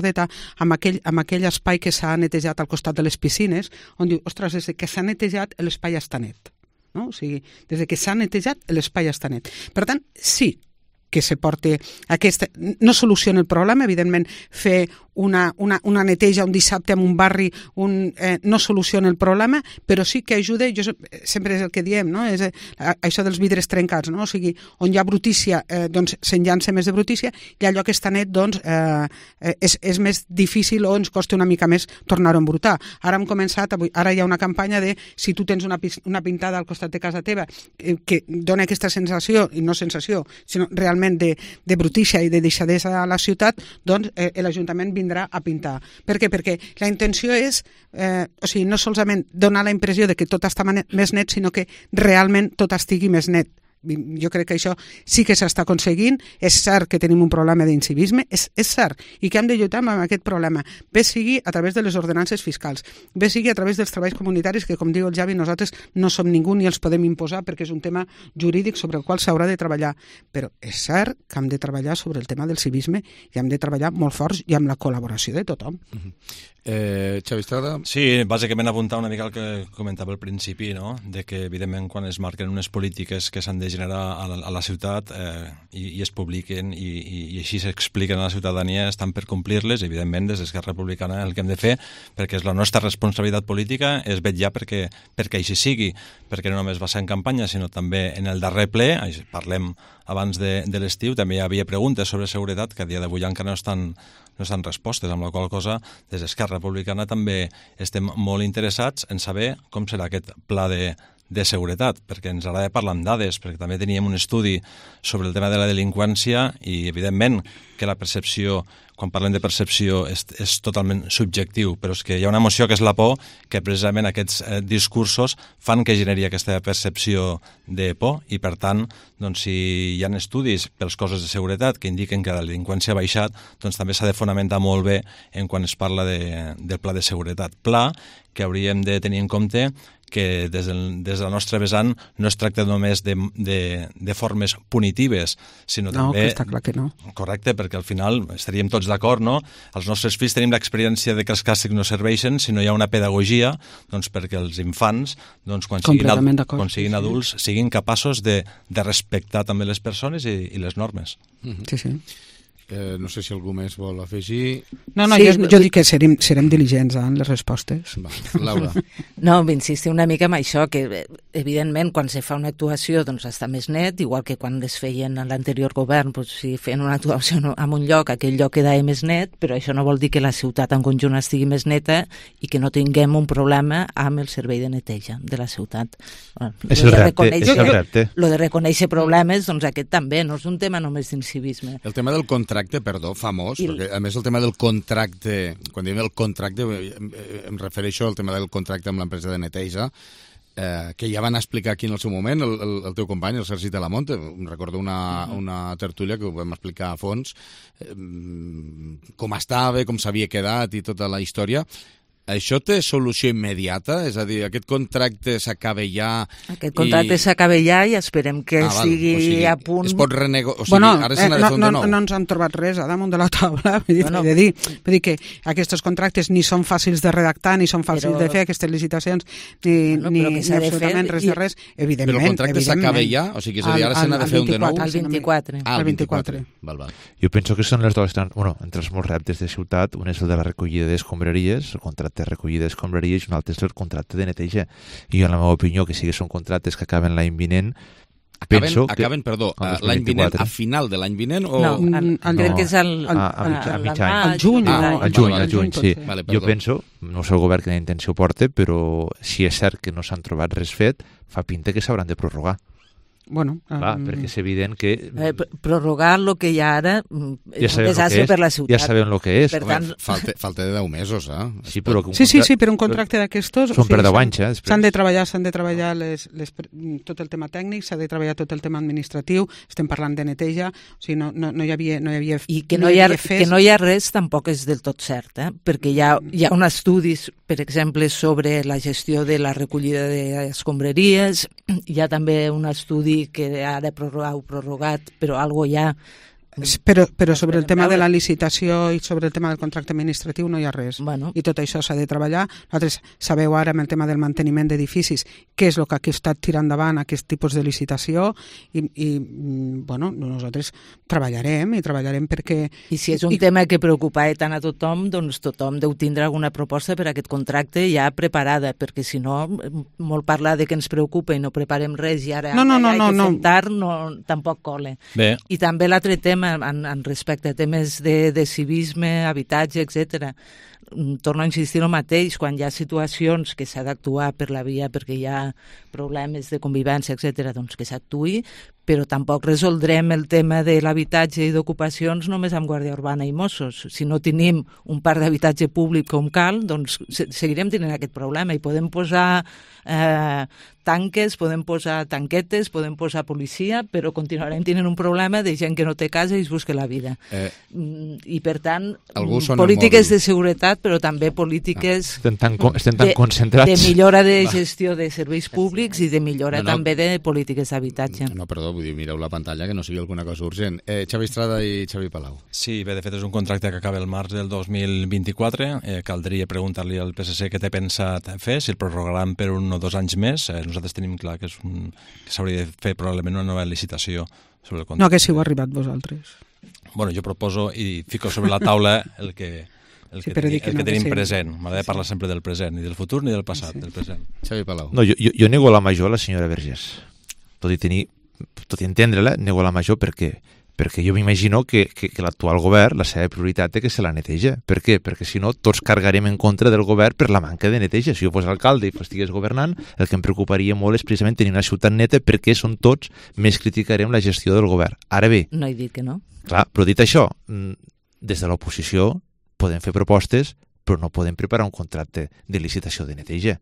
amb aquell, amb aquell espai que s'ha netejat al costat de les piscines, on diu, ostres, des que s'ha netejat l'espai està net. No? O sigui, des que s'ha netejat l'espai està net. Per tant, sí que se porti aquesta... No soluciona el problema, evidentment, fer una, una, una neteja un dissabte en un barri un, eh, no soluciona el problema, però sí que ajuda, jo sempre és el que diem, no? És, eh, això dels vidres trencats, no? O sigui, on hi ha brutícia, eh, doncs se'n llança més de brutícia, i allò que està net, doncs, eh, és, és més difícil o ens costa una mica més tornar-ho a embrutar. Ara hem començat, avui, ara hi ha una campanya de si tu tens una, una pintada al costat de casa teva eh, que dona aquesta sensació, i no sensació, sinó realment de, de brutícia i de deixadesa a la ciutat, doncs eh, l'Ajuntament vindrà a pintar. Per què? Perquè la intenció és, eh, o sigui, no solament donar la impressió de que tot està més net, sinó que realment tot estigui més net. Jo crec que això sí que s'està aconseguint. És cert que tenim un problema d'incivisme, és, és cert, i que hem de lluitar amb aquest problema, bé sigui a través de les ordenances fiscals, bé sigui a través dels treballs comunitaris, que com diu el Javi, nosaltres no som ningú ni els podem imposar perquè és un tema jurídic sobre el qual s'haurà de treballar, però és cert que hem de treballar sobre el tema del civisme i hem de treballar molt forts i amb la col·laboració de tothom. Uh-huh. Eh, Xavi Estrada? Sí, bàsicament apuntar una mica el que comentava al principi, no? De que evidentment quan es marquen unes polítiques que s'han de generar a la, a la ciutat eh, i, i es publiquen i, i, i així s'expliquen a la ciutadania, estan per complir-les. Evidentment, des d'Esquerra Republicana el que hem de fer, perquè és la nostra responsabilitat política, és vetllar perquè, perquè així sigui, perquè no només va ser en campanya, sinó també en el darrer ple, parlem abans de, de l'estiu, també hi havia preguntes sobre seguretat que a dia d'avui encara no estan no estan respostes, amb la qual cosa des d'Esquerra Republicana també estem molt interessats en saber com serà aquest pla de, de seguretat, perquè ens agrada parlar amb dades, perquè també teníem un estudi sobre el tema de la delinqüència i, evidentment, que la percepció, quan parlem de percepció, és, és totalment subjectiu, però és que hi ha una emoció que és la por, que precisament aquests eh, discursos fan que generi aquesta percepció de por, i per tant, doncs, si hi ha estudis pels cossos de seguretat que indiquen que la delinqüència ha baixat, doncs també s'ha de fonamentar molt bé en quan es parla de, del pla de seguretat. Pla que hauríem de tenir en compte que des, del, des de la nostra vessant no es tracta només de, de, de formes punitives, sinó no, també... No, que està clar que no. Correcte, perquè al final estaríem tots d'acord, no? Els nostres fills tenim l'experiència de que els càstigs no serveixen si no hi ha una pedagogia, doncs perquè els infants, doncs, quan siguin, ad, quan siguin adults, sí. siguin capaços de, de respectar també les persones i, i les normes. Sí, sí. Eh, no sé si algú més vol afegir... No, no, sí, jo, jo dic que serem, serem diligents en les respostes. Va, Laura. No, insistir una mica en això, que evidentment quan se fa una actuació doncs està més net, igual que quan es feien en l'anterior govern, doncs, si feien una actuació en un lloc, aquell lloc quedava més net, però això no vol dir que la ciutat en conjunt estigui més neta i que no tinguem un problema amb el servei de neteja de la ciutat. Bueno, és el repte, és el repte. Lo de reconèixer problemes, doncs aquest també, no és un tema només d'incivisme. El tema del contracte perdó, famós, I... perquè a més el tema del contracte, quan diem el contracte, em refereixo al tema del contracte amb l'empresa de neteja, eh, que ja van explicar aquí en el seu moment el, el, el teu company, el Sergi Talamonte. Recordo una, uh-huh. una tertúlia que ho vam explicar a fons, eh, com estava, com s'havia quedat i tota la història. Això té solució immediata? És a dir, aquest contracte s'acaba ja... Aquest contracte i... s'acaba ja i esperem que ah, val, sigui, o sigui a punt... Es pot renego... O sigui, bueno, ara se n'ha de fer un no, de nou. No, no ens han trobat res a damunt de la taula. Vull dir, bueno. de dir, vull dir que aquests contractes ni són fàcils de redactar, ni són fàcils però... de fer, aquestes licitacions, ni, bueno, ni, ni absolutament res de res. Evidentment, però el contracte s'acaba ja? O sigui, és a dir, ara se n'ha de fer un de nou? Al vint-i-quatre. Ah, al vint-i-quatre. Val, val. Jo penso que són les dues... Bueno, entre els molts reptes de ciutat, un és el de la recollida d'escombraries, el contracte de recollida d'escombraries, i un altre és el contracte de neteja. I jo, en la meva opinió, que sí que són contractes que acaben l'any vinent, Acaben, penso que... acaben perdó, l'any vinent, a final de l'any vinent? O... No, el, no. crec que és al, a, a, a, a mig any. Al juny. Ah, al juny, al juny, sí. Vale, jo penso, no sé el govern quina intenció porta, però si és cert que no s'han trobat res fet, fa pinta que s'hauran de prorrogar. Bueno, clar, um... perquè és evident que... Eh, prorrogar el que hi ha ara ja és un desastre per la ciutat. Ja sabem el que és. Per tant... falta, falta de deu mesos, eh? Sí, però sí, sí, sí, per un contracte d'aquestos... Són per deu anys, eh? S'han de treballar, s'han de treballar les, les, tot el tema tècnic, s'ha de treballar tot el tema administratiu, estem parlant de neteja, o sigui, no, no, no hi havia... No hi havia I que no, no hi ha, que no hi ha res tampoc és del tot cert, eh? Perquè hi ha, hi ha un estudis, per exemple, sobre la gestió de la recollida d'escombraries, hi ha també un estudi que ha de prorrogar o prorrogat, però algo ja... Però, però sobre el tema de la licitació i sobre el tema del contracte administratiu no hi ha res. Bueno. I tot això s'ha de treballar. Nosaltres sabeu ara amb el tema del manteniment d'edificis què és el que ha estat tirant endavant aquest tipus de licitació i, i bueno, nosaltres treballarem i treballarem perquè... I si és un I... tema que preocupa tant a tothom, doncs tothom deu tindre alguna proposta per a aquest contracte ja preparada, perquè si no, molt parlar de que ens preocupa i no preparem res i ara no, no, no, hi ha no, que no. fontar, no, tampoc cola. Bé. I també l'altre tema En, en respecte a temes de, de civisme, habitatge, etcètera. Torno a insistir el mateix, quan hi ha situacions que s'ha d'actuar per la via perquè hi ha problemes de convivència, etcètera, doncs que s'actuï, però tampoc resoldrem el tema de l'habitatge i d'ocupacions només amb Guàrdia Urbana i Mossos. Si no tenim un parc d'habitatge públic com cal, doncs seguirem tenint aquest problema i podem posar eh, tanques, podem posar tanquetes, podem posar policia, però continuarem tenint un problema de gent que no té casa i es busca la vida. Eh, I per tant, polítiques de seguretat, però també polítiques ah, estem tan, estem tan de, concentrats. de millora de gestió de serveis públics i de millora no, no, també de polítiques d'habitatge. No, perdó, vull dir, mireu la pantalla, que no sigui alguna cosa urgent. Eh, Xavi Estrada i Xavi Palau. Sí, bé, de fet és un contracte que acaba el març del dos mil vint-i-quatre. Eh, caldria preguntar-li al P S C què té pensat fer, si el prorrogaran per un o dos anys més. Eh, nosaltres tenim clar que, és un, que s'hauria de fer probablement una nova licitació sobre el contracte. No haguéssiu arribat vosaltres. Bueno, jo proposo i fico sobre la taula el que... El sí, que, teni, el no, que tenim que sí. present. M'agrada sí. parlar sempre del present, ni del futur ni del passat, sí. del present. Xavi Palau. No, jo, jo, jo nego la major a la senyora Vergés. Tot i tenir, tot i entendre-la, nego la major perquè perquè jo m'imagino que, que, que l'actual govern, la seva prioritat és que se la neteja. Per què? Perquè si no, tots cargarem en contra del govern per la manca de neteja. Si jo fos alcalde i estigués governant, el que em preocuparia molt és precisament tenir una ciutat neta perquè són tots, més criticarem la gestió del govern. Ara bé... No he dit que no. Clar, però dit això, des de l'oposició podem fer propostes, però no podem preparar un contracte de licitació de neteja.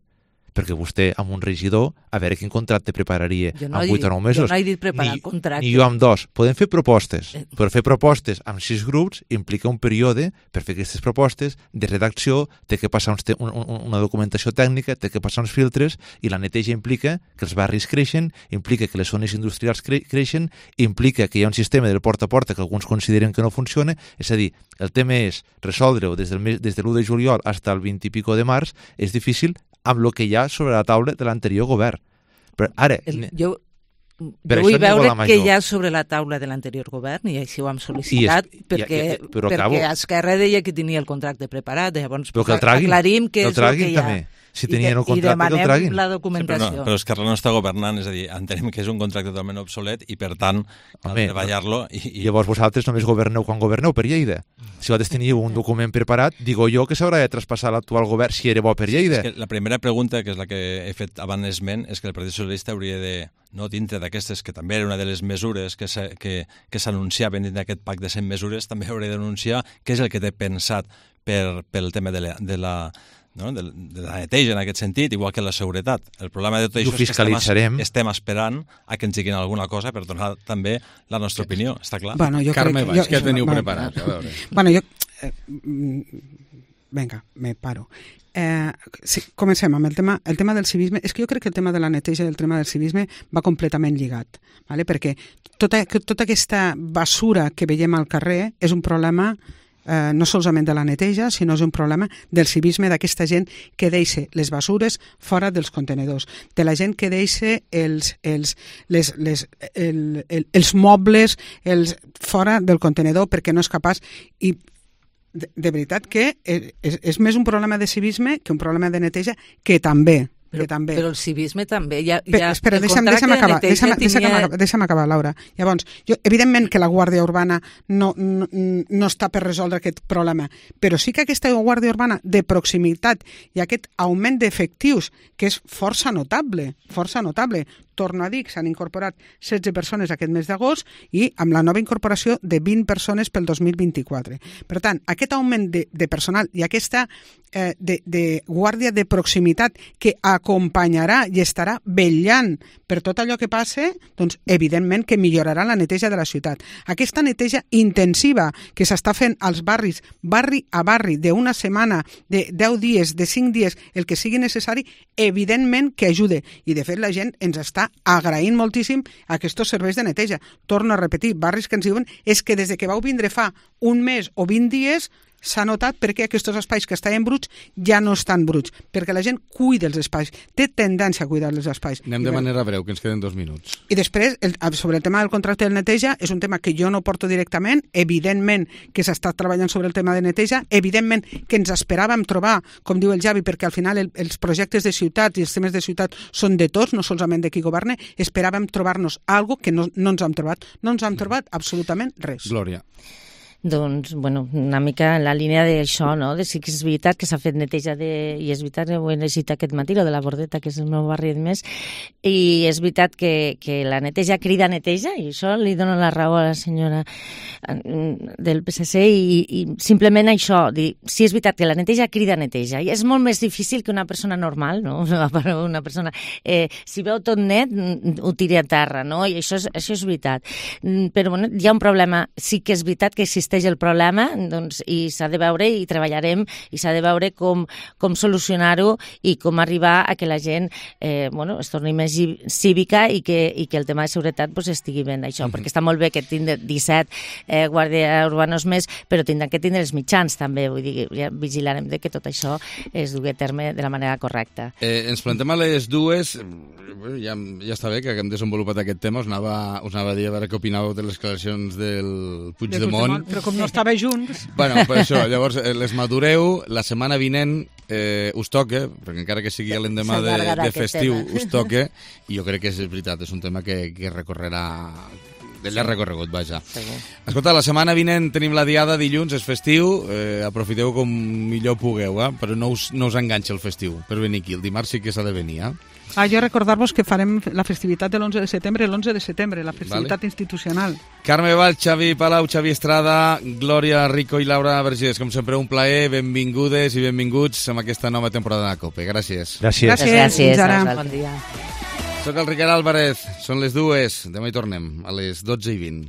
Perquè vostè, amb un regidor, a veure quin contracte prepararia no amb vuit o nou mesos. Jo no he dit preparar ni, contracte. Ni jo amb dos. Podem fer propostes, però fer propostes amb sis grups implica un període per fer aquestes propostes de redacció, té que passar uns te un, un, una documentació tècnica, té que passar uns filtres, i la neteja implica que els barris creixen, implica que les zones industrials cre creixen, implica que hi ha un sistema del porta a porta que alguns consideren que no funciona. És a dir, el tema és resoldre-ho des del des de l'u de juliol fins al vint i pico de març, és difícil amb el que hi ha sobre la taula de l'anterior govern. Però ara... El, jo jo vull veure què hi ha sobre la taula de l'anterior govern, i així ho hem sol·licitat, és, perquè, ja, ja, perquè acabo. Esquerra deia que tenia el contracte preparat, llavors però que el traguin, aclarim què és el que hi ha. També. Si tenien el contracte, I demanem que el traguin. la documentació. Sí, però, no, però Esquerra no està governant, és a dir, entenem que és un contracte totalment obsolet i, per tant, cal treballar-lo. I, i... Llavors vosaltres només governeu quan governeu per Lleida. Si vosaltres teníeu un document preparat, digo jo que s'haurà de traspassar l'actual govern si era bo per Lleida. Sí, és que la primera pregunta, que és la que he fet abans esment, és que el Partit Socialista hauria de, no dintre d'aquestes, que també era una de les mesures que s'anunciaven dins d'aquest pacte de cent mesures, també hauria d'anunciar què és el que té pensat per, pel tema de la, de la no? de, de la neteja en aquest sentit, igual que la seguretat. El problema de tot això és que estem, estem esperant a que ens diguin alguna cosa per donar també la nostra opinió, està clar? Bueno, Carme Baix, que, què teniu bueno, preparat? A veure. Bueno, jo... Eh, venga, me paro. Eh, sí, comencem amb el tema, el tema del civisme. És que jo crec que el tema de la neteja i el tema del civisme va completament lligat, ¿vale? Perquè tota, tota aquesta basura que veiem al carrer és un problema eh, no solament de la neteja, sinó és un problema del civisme d'aquesta gent que deixa les basures fora dels contenedors, de la gent que deixa els, els, les, les, el, el, els mobles els, fora del contenedor perquè no és capaç. I de, de veritat que és, és més un problema de civisme que un problema de neteja, que també, però, que també. Però el civisme també. Ja, però, ja, espera, deixa'm, deixa'm, acabar, deixa'm, deixa'm, tenia... deixa'm acabar, Laura. Llavors, jo, evidentment que la Guàrdia Urbana no, no, no està per resoldre aquest problema, però sí que aquesta Guàrdia Urbana de proximitat i aquest augment d'efectius, que és força notable, força notable, torno a dir que s'han incorporat setze persones aquest mes d'agost i amb la nova incorporació de vint persones pel dos mil vint-i-quatre. Per tant, aquest augment de, de personal i aquesta eh, de, de guàrdia de proximitat que acompanyarà i estarà vetllant per tot allò que passe, doncs evidentment que millorarà la neteja de la ciutat. Aquesta neteja intensiva que s'està fent als barris, barri a barri, d'una setmana, de deu dies, de cinc dies, el que sigui necessari, evidentment que ajude. I de fet la gent ens està agraint moltíssim aquests serveis de neteja. Torno a repetir, barris que ens diuen és que des de que vau vindre fa un mes o vint dies s'ha notat perquè aquests espais que estaven bruts ja no estan bruts, perquè la gent cuida els espais, té tendència a cuidar els espais. Anem de manera breu, que ens queden dos minuts. I després, el, sobre el tema del contracte de neteja, és un tema que jo no porto directament, evidentment que s'ha estat treballant sobre el tema de neteja, evidentment que ens esperàvem trobar, com diu el Javi, perquè al final el, els projectes de ciutat i els temes de ciutat són de tots, no solament de qui governa, esperàvem trobar-nos algo que no, no ens hem trobat. No ens hem trobat absolutament res. Glòria. Doncs, bueno, una mica en la línia d'això, no? De sí que és veritat que s'ha fet neteja de... I és veritat que ho he llegit aquest matí, lo de la Bordeta, que és el meu barri de més, i és veritat que, que la neteja crida neteja, i això li dono la raó a la senyora del P S C, i, i simplement això, dir, sí és veritat que la neteja crida neteja, i és molt més difícil que una persona normal, no? Una persona... Eh, si veu tot net, ho tiri a terra, no? I això és, això és veritat. Però, bueno, hi ha un problema. Sí que és veritat que existeix el problema, doncs, i s'ha de veure i treballarem i s'ha de veure com, com solucionar-ho i com arribar a que la gent eh, bueno, es torni més cívica i que, i que el tema de seguretat pues, estigui ben això, uh-huh. perquè està molt bé que tindre disset eh, guàrdies urbanos més, però tindran que tindre els mitjans també, vull dir, ja vigilarem de que tot això es dugui a terme de la manera correcta. Eh, ens plantem a les dues, ja, ja està bé que hem desenvolupat aquest tema, us anava, us anava a dir a veure què opinàveu de les declaracions del Puigdemont, però com no estava junts... Bueno, per això, llavors les madureu, la setmana vinent eh, us toca, perquè encara que sigui l'endemà de, de festiu, us toca, i jo crec que és veritat, és un tema que, que recorrerà... de llarg recorregut, vaja. Escolta, la setmana vinent tenim la diada, dilluns, és festiu, eh, aprofiteu com millor pugueu, eh? Però no us, no us enganxa el festiu per venir aquí. El dimarts sí que s'ha de venir, eh? Ah, jo recordar-vos que farem la festivitat de l'onze de setembre, l'onze de setembre, la festivitat vale. institucional. Carme Valls, Xavi Palau, Xavi Estrada, Glòria Rico i Laura Vergés, com sempre un plaer, benvingudes i benvinguts amb aquesta nova temporada de COPE. Gràcies. Gràcies. Gràcies. Gràcies. Fins ara. Bon dia. Soc el Ricard Álvarez, són les dues, demà hi tornem, a les dotze i vint.